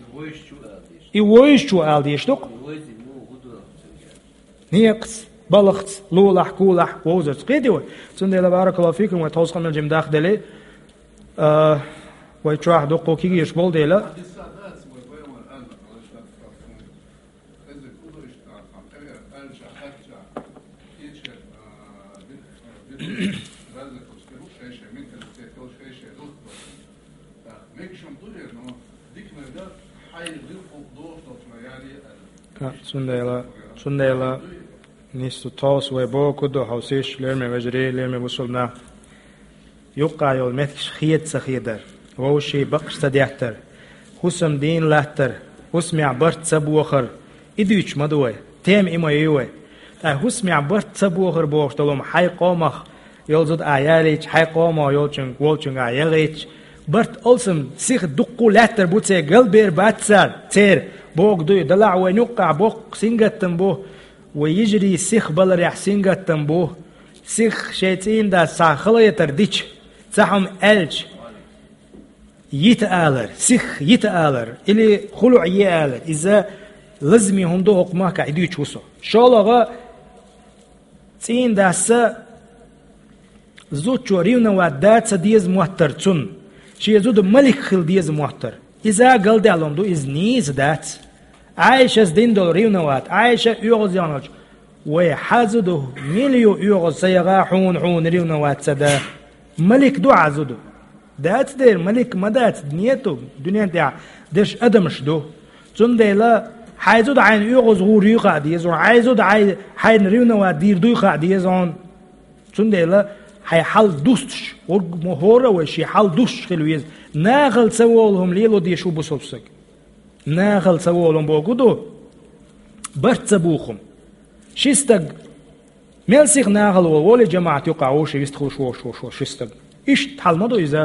И вовзаш чу ала дезаш ду-кх. Некъаца, балхаца, лулахь, кулахь, вовзарца. Кхетий вай? Цундела, баракаллаху фикум, вай тховса къамел жима дахделий, а, вай чохь дуккха кегийраш болу дела. Ка, цундела, цундела, нисса тховса вай бохург ду, хьовсийша, лераме вежарий, лераме бусулба нах. Юккъехь йолу меттигаш хеда ца хедар, вовшийн бакъаш ца деттар, хӀусам дийна латтар, хӀусамехь барт ца бохар, и дуьйцуш ма ду вай, тема и ма ю вай. Ткъа хӀусамехь барт ца бохар бохуш долу хӀума хьайн къомах йолу зуда ахь ялийча, хьайн къомах йолчуьнга, волчуьнга ахь яхийтича, барт алсам сиха дуккха а лаьттар бу церан, галбер бац цара, церан, бохург ду и, делахь вайна юккъехь боккха сингаттам бу, вай йижарий сиха баларехь сингаттам бу, сиха шайн цӀийнан дас цхьа хала йитар дича, цхьа хӀума аьлча, йита алар, сиха йита алар, или хӀуллакъ е алар, иза лазаме хӀума ду хӀокху махкахь, и дуьйцуш ву со. ШолгӀа, цӀийнан дас зудчо ревновать дан ца деза моттар цунна, шен зуда малик хила деза моттар. Иза галдаьлла хӀума ду, иза нийса дац. Ӏайшас дина долу ревновать, Ӏайша оьгӀаз яхначу, вай, хьан зуда мила ю оьгӀаз ца яха, хьуна, хьуна ревновать ца дан? Малик ду хьан зуда? Дац дера, малик ма дац, нету, дуьнен тӀехь дерш адамаш ду. Цундела хьайн зуда хьайна оьгӀаз гӀур юй хаа деза хьуна, хьайн зуда хьай-, хьайна ревновать дийр дуй хаа деза хьуна. Цундела хьайн хьал дустуш, хӀорг мо хӀора а вай шен хьал дустуш хила веза. Нахала ца волу хӀума лело дезаш ву бусалба стаг. Нахала ца волу хӀума бохург ду, барт ца боху хӀума. Ши стаг Мел сиха нахала волу, волий жамаӀат юкъахь вовшийн вистхуьлуш волуш, волуш, волуш ши стаг. Иштта хьал ма ду иза.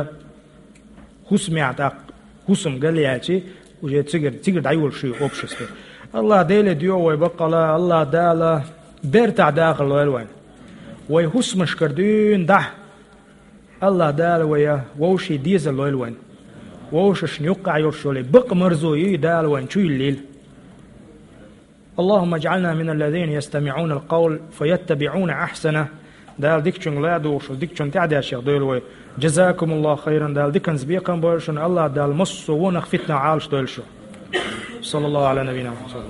ХӀусамехь тӀаккха, хӀусам галъяьлчи, уже цигара, цигара дӀайолуш ю общество. АллахӀ Деле доьху вай баккъала, АллахӀ Дала бертахь дахар лойла вайн. Вай хӀусамашкара дуьйна дахь. АллахӀ Дала вай вовшийн дезар лойла вайн. Вовшашна юккъехь йолуш йолу бакъ марзо юй Дала вайн чу йиллийла. اللهم اجعلنا من الذين يستمعون القول فيتبعون أحسنه. Дала дикачуьнга ладугӀуш, дикачунна тӀаьхьадешшех дойла вай. جزاكم الله خيرا. Дала диканца бекхам бойла шуна. АллахӀ Дала массо а вонах фитнах Ӏалаш дойла шу. صلى الله على نبينا محمد.